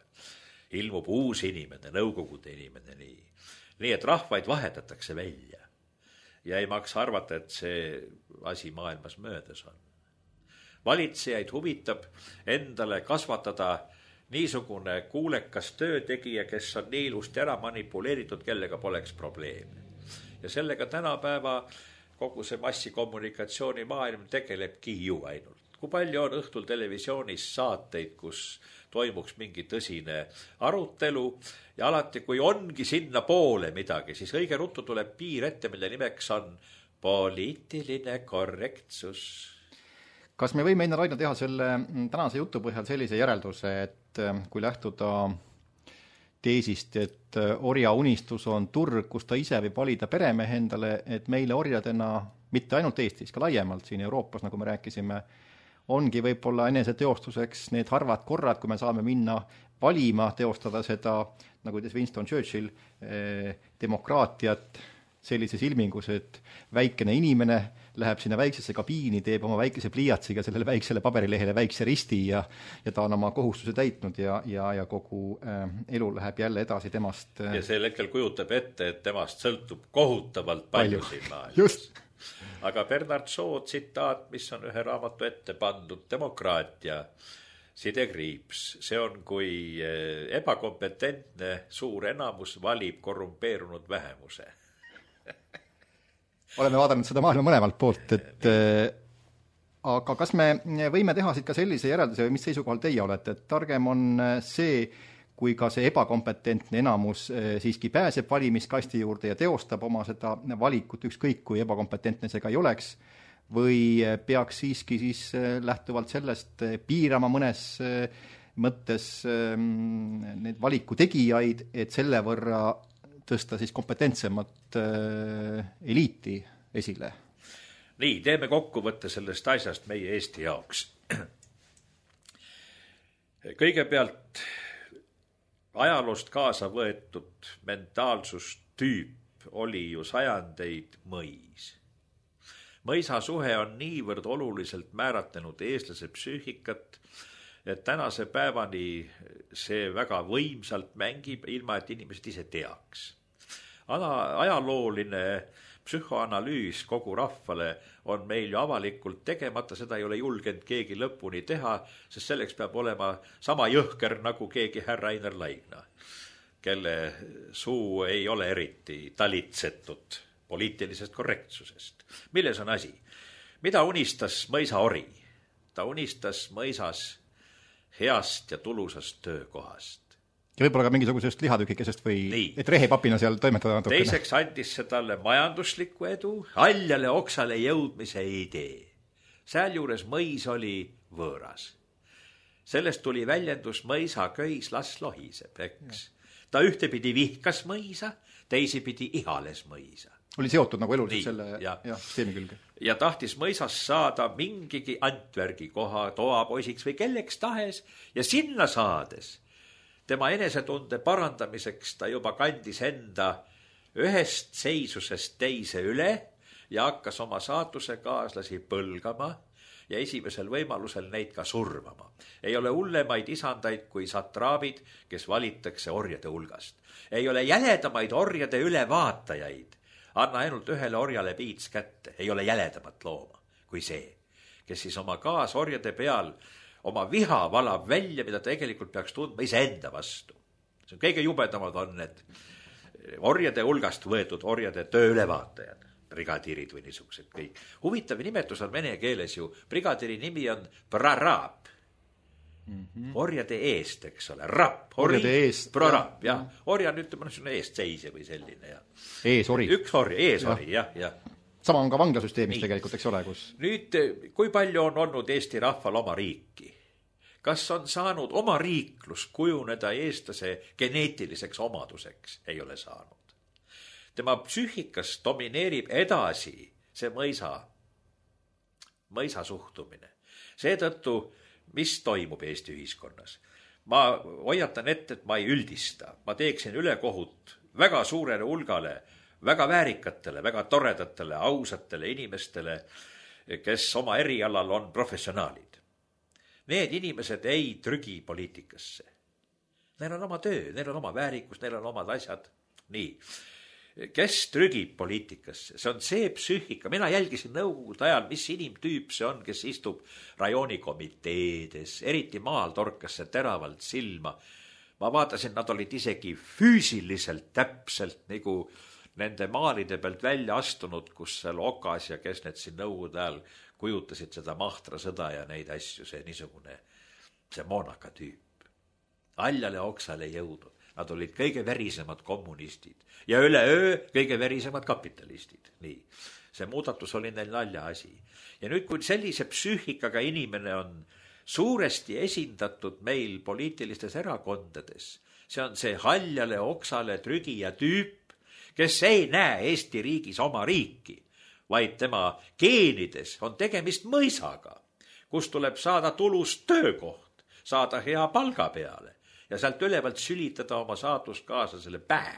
B: Ilmub uus inimene, nõukogude inimene, nii. Nii, et rahvaid vahetatakse välja. Ja ei maksa arvata, et see asi maailmas möödas on. Valitsejaid huvitab endale kasvatada niisugune kuulekas töötegija, kes on nii ilusti ära manipuleeritud, kellega poleks probleeme. Ja sellega tänapäeva kogu see massikommunikatsiooni maailm tegelebki ju ainult. Kui palju on õhtul televisioonis saateid, kus toimuks mingi tõsine arutelu ja alati, kui ongi sinna poole midagi, siis õige ruttu tuleb piir ette, mille nimeks on poliitiline korrektsus.
A: Kas me võime enne Raina teha selle tänase jutu põhjal sellise järelduse, et kui lähtuda teesist, et orja unistus on turg, kus ta ise võib valida peremehe endale, et meile orjadena, mitte ainult Eestis, ka laiemalt siin Euroopas, nagu me rääkisime, ongi võib-olla eneseteostuseks need harvad korrad, kui me saame minna valima, teostada seda, nagu ütles Winston Churchill, demokraatiat sellises ilmingus, et väikene inimene läheb sinna väiksesse kabiini, teeb oma väikese pliiatsiga sellele väiksele paberilehele väikse risti ja ta on oma kohustuse täitnud ja kogu elu läheb jälle edasi temast.
B: Ja sel hetkel kujutab ette, et temast sõltub kohutavalt palju siin maailmas.
A: Just.
B: Aga Bernard Shaw tsitaat, mis on ühe raamatu ette pandud, demokraatia, sidekriips, see on, kui ebakompetentne suur enamus valib korrumpeerunud vähemuse.
A: Oleme vaadanud seda maailma mõlemalt poolt, et aga kas me võime teha siit ka sellise järelduse või mis seisukohal teie olete, et targem on see, kui ka see ebakompetentne enamus siiski pääseb valimiskasti juurde ja teostab oma seda valikut, ükskõik kui ebakompetentne see ka ei oleks, või peaks siiski siis lähtuvalt sellest piirama mõnes mõttes need valiku tegijaid, et selle võrra tõsta siis kompetentsemat eliiti esile?
B: Nii, teeme kokkuvõtte sellest asjast meie Eesti jaoks. Kõigepealt ajaloost kaasa võetud mentaalsustüüp oli ju sajandeid mõis. Mõisa suhe on niivõrd oluliselt määratlenud eestlase psüühikat, et tänase päevani see väga võimsalt mängib, ilma et inimesed ise teaks. Ajalooline psühhoanalüüs kogu rahvale on meil ju avalikult tegemata, seda ei ole julgenud keegi lõpuni teha, sest selleks peab olema sama jõhker nagu keegi härra Einar Laigna, kelle suu ei ole eriti talitsetud poliitilisest korrektsusest. Milles on asi? Mida unistas mõisaori? Ta unistas mõisas heast ja tulusast töökohast.
A: Ja võib-olla ka mingisugusest lihatükikesest või
B: Nii.
A: et rehepapina seal toimetada natukene.
B: Teiseks andis see talle majanduslikku edu, haljale oksale jõudmise idee. Sealjuures mõis oli võõras. Sellest tuli väljendus mõisa köis las lohiseb, eks. Ta ühtepidi vihkas mõisa, teisipidi ihales mõisa.
A: Oli seotud nagu eluliselt
B: Nii,
A: selle
B: ja.
A: süsteemi külge.
B: Ja tahtis mõisas saada mingigi Antvergi koha toapoisiks või kelleks tahes ja sinna saades tema enesetunde parandamiseks ta juba kandis enda ühest seisusest teise üle ja hakkas oma saatuse kaaslasi põlgama ja esimesel võimalusel neid ka surmama. Ei ole hullemaid isandaid kui satraabid, kes valitakse orjade hulgast. Ei ole jäledamaid orjade ülevaatajaid. Anna ainult ühele orjale piits kätte. Ei ole jäledamat looma kui see, kes siis oma kaasorjade peal oma viha valab välja, mida tegelikult peaks tundma iseenda vastu. See on kõige jubedamad on need orjade hulgast võetud orjade tööülevaatajad, brigadiirid või niisugused kõik. Huvitav nimetus on vene keeles ju, brigadiiri nimi on prarab. Orjade eest, eks ole, rapp.
A: Orjade eest.
B: Prarab, jah. Orja on ütlema eest seisja või selline, jah.
A: Eesori.
B: Üks orja, eesori, jah.
A: Sama on ka vanglasüsteemis tegelikult, eks ole, kus...
B: Nüüd, kui palju on olnud Eesti rahval oma riiki? Kas on saanud oma riiklus kujuneda eestlase geneetiliseks omaduseks? Ei ole saanud. Tema psüühikas domineerib edasi see mõisa suhtumine. Seetõttu, mis toimub Eesti ühiskonnas? Ma hoiatan ette, et ma ei üldista. Ma teeksin ülekohut väga suurele hulgale, väga väärikatele, väga toredatele, ausatele inimestele, kes oma erialal on professionaalid. Need inimesed ei trügi poliitikasse. Neil on oma töö, neil on oma väärikus, neil on omad asjad. Nii. Kes trügib poliitikasse? See on see psüühika. Mina jälgisin nõukogude ajal, mis inimtüüp see on, kes istub rajoonikomiteedes. Eriti maal torkas see teravalt silma. Ma vaatasin, nad olid isegi füüsiliselt täpselt nagu nende maalide pealt välja astunud, kus seal Okas ja kes need siin nõukogude ajal kujutasid seda mahtra sõda ja neid asju, see niisugune, see moonaka tüüp. Haljale oksale jõudnud. Nad olid kõige verisemad kommunistid ja üleöö kõige verisemad kapitalistid. Nii. See muudatus oli neil nalja asi. Ja nüüd, kui sellise psüühikaga inimene on suuresti esindatud meil poliitilistes erakondades, see on see haljale oksale trügija tüüp, kes ei näe Eesti riigis oma riiki, vaid tema geenides on tegemist mõisaga, kus tuleb saada tulust töökoht, saada hea palga peale ja sealt ülevalt sülitada oma saatuskaaslasele päe.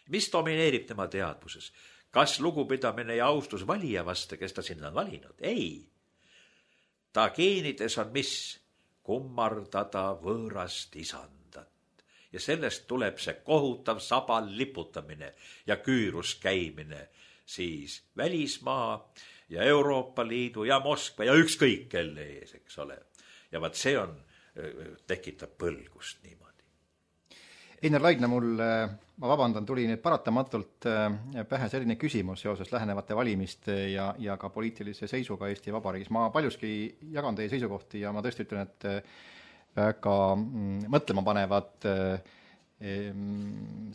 B: Mis domineerib tema teadvuses? Kas lugupidamine ja austus valija vastu, kes ta sinna on valinud? Ei. Ta geenides on mis? Kummardada võõrast isandat. Ja sellest tuleb see kohutav sabal liputamine ja küürus käimine siis välismaa ja Euroopa Liidu ja Moskva ja ükskõik kelle ees, eks ole. Ja vaat see tekitab põlgust niimoodi.
A: Einar Laidna, ma vabandan, tuli nüüd paratamatult pähe selline küsimus seoses lähenevate valimiste ja ka poliitilise seisuga Eesti Vabariigis. Ma paljuski jagan teie seisukohti ja ma tõesti ütlen, et väga mõtlema panevad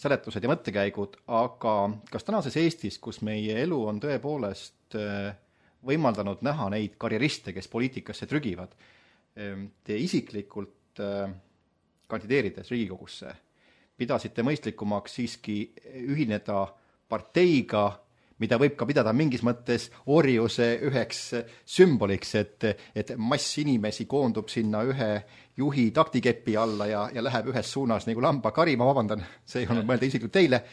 A: seletused ja mõttekäigud, aga kas tänases Eestis, kus meie elu on tõepoolest võimaldanud näha neid karjeriste, kes poliitikasse trügivad, te isiklikult kandideerides Riigikogusse pidasite mõistlikumaks siiski ühineda parteiga, mida võib ka pidada mingis mõttes orjuse üheks sümboliks, et mass inimesi koondub sinna ühe juhi taktikepi alla ja läheb ühes suunas nagu lambakari, ma vabandan, see ei olnud mõelda isiklikult teile,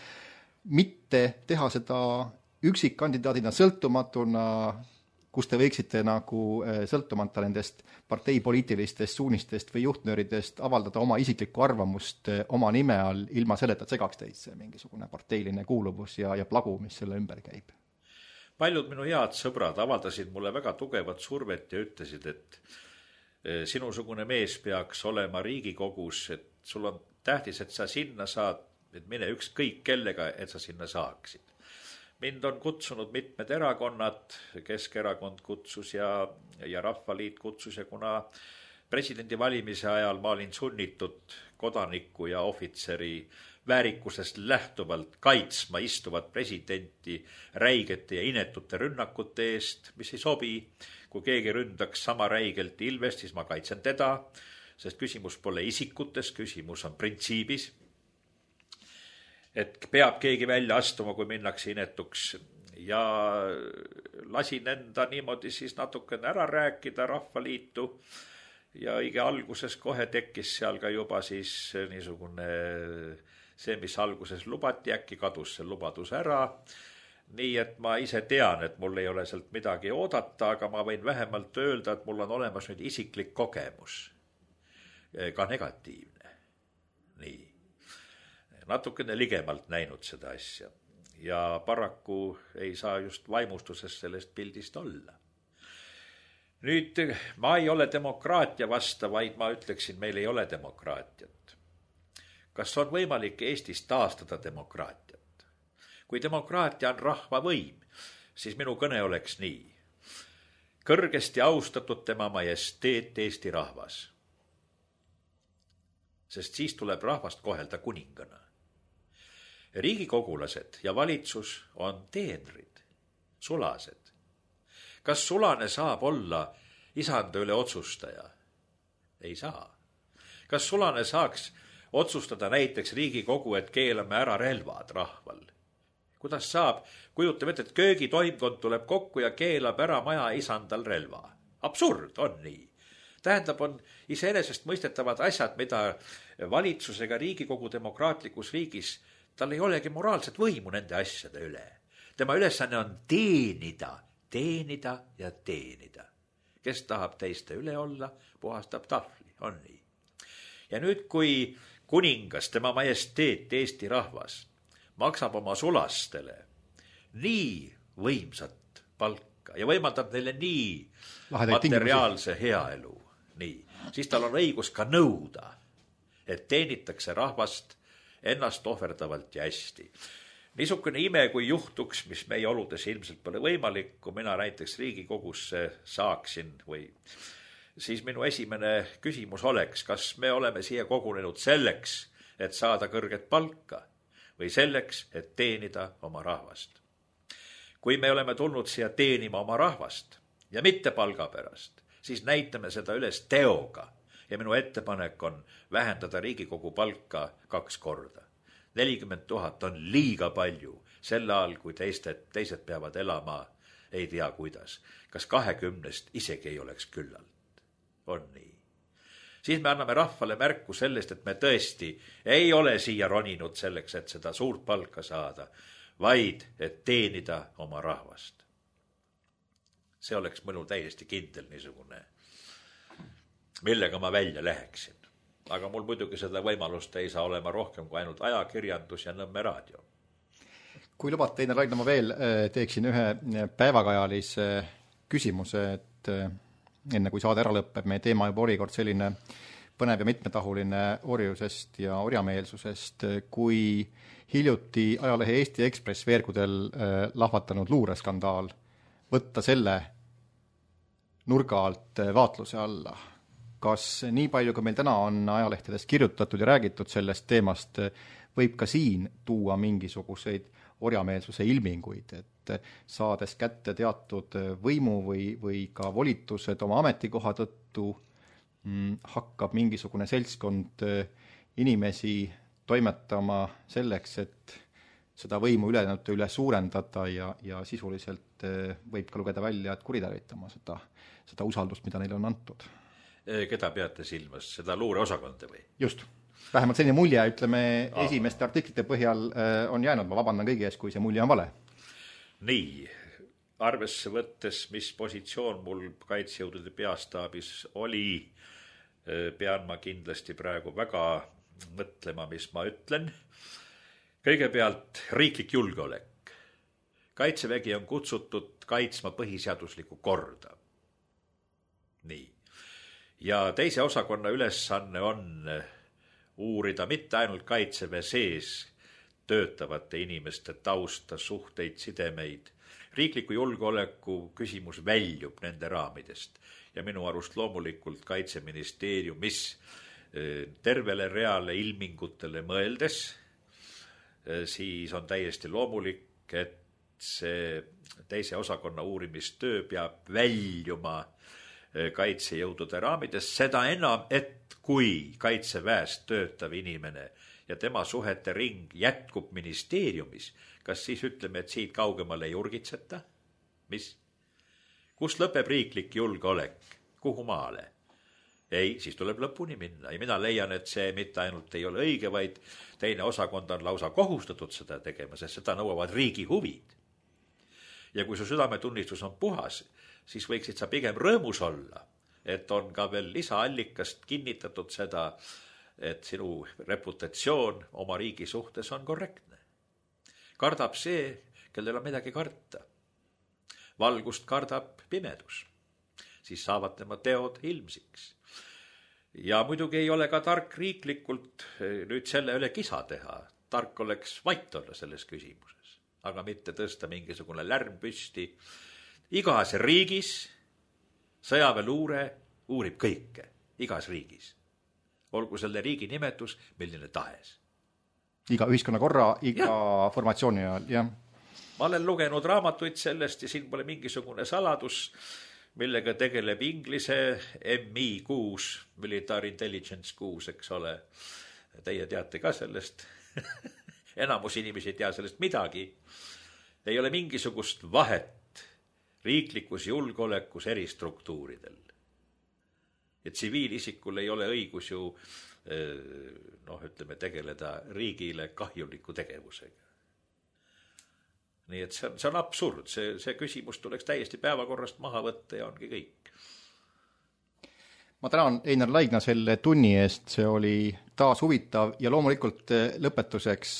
A: mitte teha seda üksikkandidaadina sõltumatuna, kus te võiksite nagu sõltumata nendest parteipoliitilistest suunistest või juhtnööridest avaldada oma isiklikku arvamust oma nime all, ilma selleta, et segaks teid see mingisugune parteiline kuuluvus ja plagu, mis selle ümber käib.
B: Paljud minu head sõbrad avaldasid mulle väga tugevat survet ja ütlesid, et sinusugune mees peaks olema Riigikogus, et sul on tähtis, et sa sinna saad, et mine ükskõik kellega, et sa sinna saaksid. Mind on kutsunud mitmed erakonnad, Keskerakond kutsus ja Rahvaliit kutsus ja kuna Presidendi valimise ajal ma olin sunnitud kodaniku ja ohvitseri väärikusest lähtuvalt kaitsma istuvat presidenti räigete ja inetute rünnakute eest, mis ei sobi. Kui keegi ründaks sama räigelt Ilvest, siis ma kaitsen teda, sest küsimus pole isikutes, küsimus on printsiibis. Et peab keegi välja astuma, kui minnakse inetuks, ja lasin enda niimoodi siis natukene ära rääkida Rahvaliitu ja õige alguses kohe tekkis seal ka juba siis niisugune see, mis alguses lubati, äkki kadus see lubadus ära. Nii et ma ise tean, et mul ei ole sealt midagi oodata, aga ma võin vähemalt öelda, et mul on olemas nüüd isiklik kogemus, ka negatiivne. Nii, natukene ligemalt näinud seda asja ja paraku ei saa just vaimustusest sellest pildist olla. Nüüd ma ei ole demokraatia vasta, vaid ma ütleksin, meil ei ole demokraatiat. Kas on võimalik Eestis taastada demokraatiat? Kui demokraatia on rahva võim, siis minu kõne oleks nii. Kõrgesti austatud tema majesteet Eesti rahvas. Sest siis tuleb rahvast kohelda kuningana. Riigikogulased ja valitsus on teenrid, sulased. Kas sulane saab olla isanda üle otsustaja? Ei saa. Kas sulane saaks otsustada näiteks Riigikogu, et keelame ära relvad rahval? Kuidas saab? Kujutame ette, et köögitoimkond tuleb kokku ja keelab ära maja isandal relva. Absurd, on nii. Tähendab, on iseenesest mõistetavad asjad, mida valitsusega Riigikogu demokraatlikus riigis, tal ei olegi moraalset võimu nende asjade üle. Tema ülesanne on teenida ja teenida. Kes tahab teiste üle olla, puhastab tahvli, on nii. Ja nüüd, kui kuningas, tema majesteet, Eesti rahvas, maksab oma sulastele nii võimsat palka ja võimaldab neile nii materiaalse heaelu, nii, siis tal on õigus ka nõuda, et teenitakse rahvast ennast ohverdavalt ja hästi. Niisugune ime, kui juhtuks, mis meie oludes ilmselt pole võimalik, kui mina näiteks Riigikogusse saaksin või siis minu esimene küsimus oleks, kas me oleme siia kogunenud selleks, et saada kõrget palka või selleks, et teenida oma rahvast. Kui me oleme tulnud siia teenima oma rahvast ja mitte palga pärast, siis näitame seda üles teoga ja minu ettepanek on vähendada Riigikogu palka 2 korda. 40 000 on liiga palju, sel ajal, kui teised peavad elama, ei tea kuidas. Kas 20 isegi ei oleks küllalt? On nii. Siis me anname rahvale märku sellest, et me tõesti ei ole siia roninud selleks, et seda suurt palka saada, vaid et teenida oma rahvast. See oleks mõnul täiesti kindel niisugune, millega ma välja läheksin. Aga mul muidugi seda võimalust ei saa olema rohkem kui ainult ajakirjandus ja Nõmme raadio.
A: Kui lubate, Einar Raidla, ma veel teeksin ühe päevakajalise küsimuse, et enne kui saade ära lõpeb, meie teema juba oli kord selline põnev ja mitmetahuline orjusest ja orjameelsusest, kui hiljuti ajalehe Eesti Ekspress veergudel lahvatanud luureskandaal võtta selle nurga alt vaatluse alla. Kas nii palju, kui meil täna on ajalehtedest kirjutatud ja räägitud sellest teemast, võib ka siin tuua mingisuguseid orjameelsuse ilminguid, et saades kätte teatud võimu või ka volitused oma ametikoha tõttu, hakkab mingisugune seltskond inimesi toimetama selleks, et seda võimu üle suurendada ja sisuliselt võib ka lugeda välja, et kuritarvitama seda usaldust, mida neile on antud.
B: Keda peate silmas, seda luureosakonda või?
A: Just. Vähemalt selline mulje, ütleme, esimeste artiklite põhjal on jäänud, ma vabandan kõigi ees, kui see mulje on vale.
B: Nii, arvesse võttes, mis positsioon mul kaitsejõudude peastaabis oli, pean ma kindlasti praegu väga mõtlema, mis ma ütlen. Kõigepealt riiklik julgeolek. Kaitsevägi on kutsutud kaitsma põhiseaduslikku korda. Nii. Ja teise osakonna ülesanne on uurida mitte ainult kaitseväe sees töötavate inimeste tausta, suhteid, sidemeid, riikliku julgeoleku küsimus väljub nende raamidest ja minu arust loomulikult Kaitseministeeriumis tervele reale ilmingutele mõeldes, siis on täiesti loomulik, et see teise osakonna uurimistöö peab väljuma kaitsejõudude raamidest, seda enam, et kui kaitseväest töötav inimene ja tema suhete ring jätkub ministeeriumis, kas siis ütleme, et siit kaugemale ei urgitseta? Mis? Kus lõpeb riiklik julgeolek? Kuhu maale? Ei, siis tuleb lõpuni minna ja mina leian, et see mitte ainult ei ole õige, vaid teine osakond on lausa kohustatud seda tegema, sest seda nõuavad riigi huvid. Ja kui su südametunnistus on puhas, siis võiksid sa pigem rõõmus olla, et on ka veel lisaallikast kinnitatud seda, et sinu reputatsioon oma riigi suhtes on korrektne. Kardab see, kellel on midagi karta. Valgust kardab pimedus. Siis saavad tema teod ilmsiks. Ja muidugi ei ole ka tark riiklikult nüüd selle üle kisa teha. Tark oleks vait olla selles küsimuses, aga mitte tõsta mingisugune lärm püsti. Igas riigis sõjaväeluure uurib kõike, igas riigis. Olgu selle riigi nimetus, milline tahes.
A: Iga ühiskonnakorra, iga formatsiooni ajal, jah.
B: Ma olen lugenud raamatuid sellest ja siin pole mingisugune saladus, millega tegeleb Inglise MI6, Military Intelligence 6, eks ole. Teie teate ka sellest. Enamus inimesi ei tea sellest midagi. Ei ole mingisugust vahet riiklikus julgeolekus eri struktuuridel. Ja tsiviilisikul ei ole õigus ju tegeleda riigile kahjuliku tegevusega. Nii et see on absurd, see küsimus tuleks täiesti päevakorrast maha võtta ja ongi kõik.
A: Ma tänan Einar Laidna selle tunni eest, see oli taas huvitav ja loomulikult lõpetuseks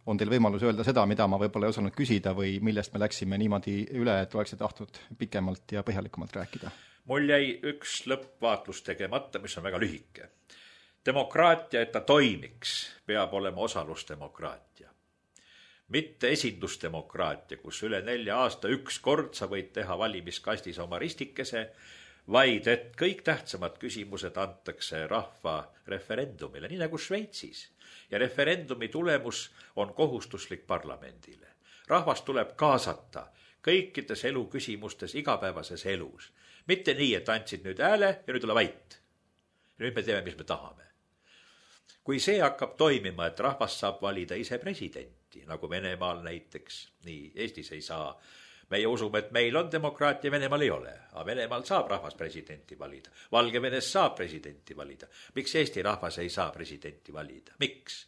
A: on teil võimalus öelda seda, mida ma võib-olla ei osanud küsida või millest me läksime niimoodi üle, et oleksid tahtnud pikemalt ja põhjalikumalt rääkida.
B: Mul jäi üks lõppvaatlus tegemata, mis on väga lühike. Demokraatia, et ta toimiks, peab olema osalusdemokraatia. Mitte esindusdemokraatia, kus üle 4 aasta üks kord sa võid teha valimiskastis oma ristikese, vaid et kõik tähtsamad küsimused antakse rahva referendumile, nii nagu Šveitsis. Ja referendumi tulemus on kohustuslik parlamendile. Rahvas tuleb kaasata kõikides eluküsimustes igapäevases elus. Mitte nii, et andsid nüüd hääle ja nüüd ole vait. Nüüd me teeme, mis me tahame. Kui see hakkab toimima, et rahvas saab valida ise presidenti, nagu Venemaal näiteks, nii Eestis ei saa. Meie usume, et meil on demokraatia, Venemaal ei ole, aga Venemaal saab rahvas presidenti valida. Valgevenes saab presidenti valida. Miks Eesti rahvas ei saa presidenti valida? Miks?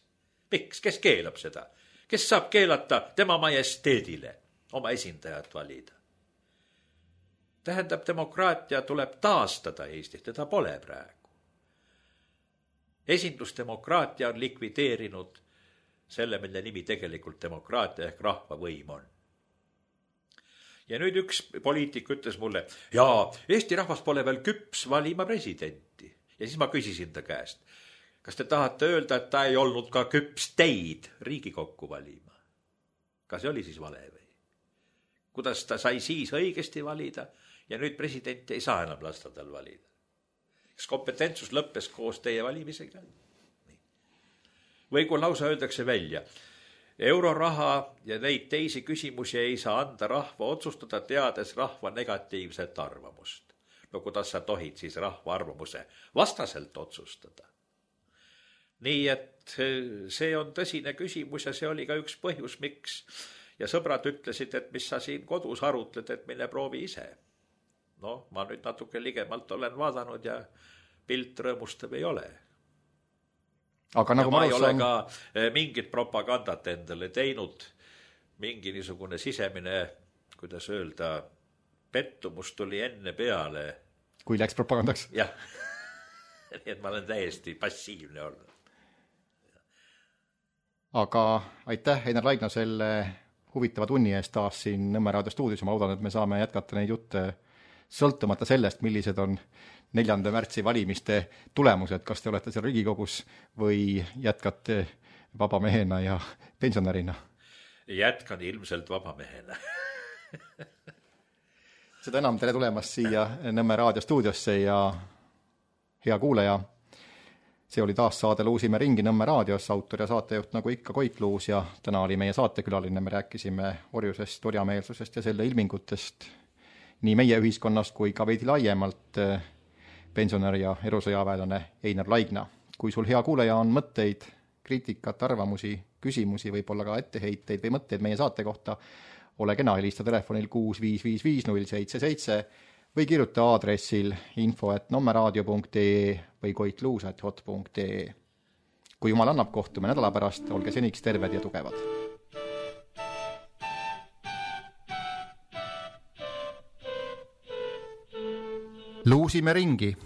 B: Kes keelab seda? Kes saab keelata tema majesteedile oma esindajat valida? Tähendab, demokraatia tuleb taastada Eestis, teda pole praegu. Esindusdemokraatia on likvideerinud selle, mille nimi tegelikult demokraatia ehk rahvavõim on. Ja nüüd üks poliitik ütles mulle, Eesti rahvas pole veel küps valima presidenti. Ja siis ma küsisin ta käest, kas te tahate öelda, et ta ei olnud ka küps teid Riigikokku valima? Kas see oli siis vale või? Kuidas ta sai siis õigesti valida ja nüüd presidenti ei saa enam lasta tal valida? Kas kompetentsus lõppes koos teie valimisega? Või kui lausa öeldakse välja, euroraha ja neid teisi küsimusi ei saa anda rahva otsustada, teades rahva negatiivset arvamust. No kuidas sa tohid siis rahva arvamuse vastaselt otsustada? Nii et see on tõsine küsimus ja see oli ka üks põhjus, miks. Ja sõbrad ütlesid, et mis sa siin kodus arutled, et mine proovi ise. No, ma nüüd natuke ligemalt olen vaadanud ja pilt rõõmustav ei ole.
A: Aga nagu
B: ma ei ole ka mingit propagandat endale teinud, mingi niisugune sisemine, kuidas öelda, pettumus tuli enne peale.
A: Kui läks propagandaks?
B: Jah, nii et ma olen täiesti passiivne olnud.
A: Aga aitäh, Einar Laidna, selle huvitava tunni eest taas siin Nõmme Raadio stuudios. Ma loodan, et me saame jätkata neid jutte sõltumata sellest, millised on 4. märtsi valimiste tulemused, kas te olete seal Riigikogus või jätkate vabamehena ja pensionärina?
B: Jätkan ilmselt vabamehena.
A: Seda enam tere tulemast siia Nõmme raadiostuudiosse ja hea kuulaja. See oli taas saade Luusime ringi Nõmme raadios, autor ja saatejuht nagu ikka Koit Luus ja täna oli meie saatekülaline. Me rääkisime orjusest, orjameelsusest ja selle ilmingutest nii meie ühiskonnast kui ka veidi laiemalt pensionär ja erusõjaväelane Einar Laigna. Kui sul hea kuulaja on mõtteid, kriitikat, arvamusi, küsimusi, võib-olla ka etteheiteid või mõtteid meie saate kohta, ole kena, helista telefonil 6555077 või kirjuta aadressil info@nommeraadio.ee või koitluus@hot.ee. Kui jumal annab, kohtume nädala pärast, olge seniks terved ja tugevad. Luusime ringi.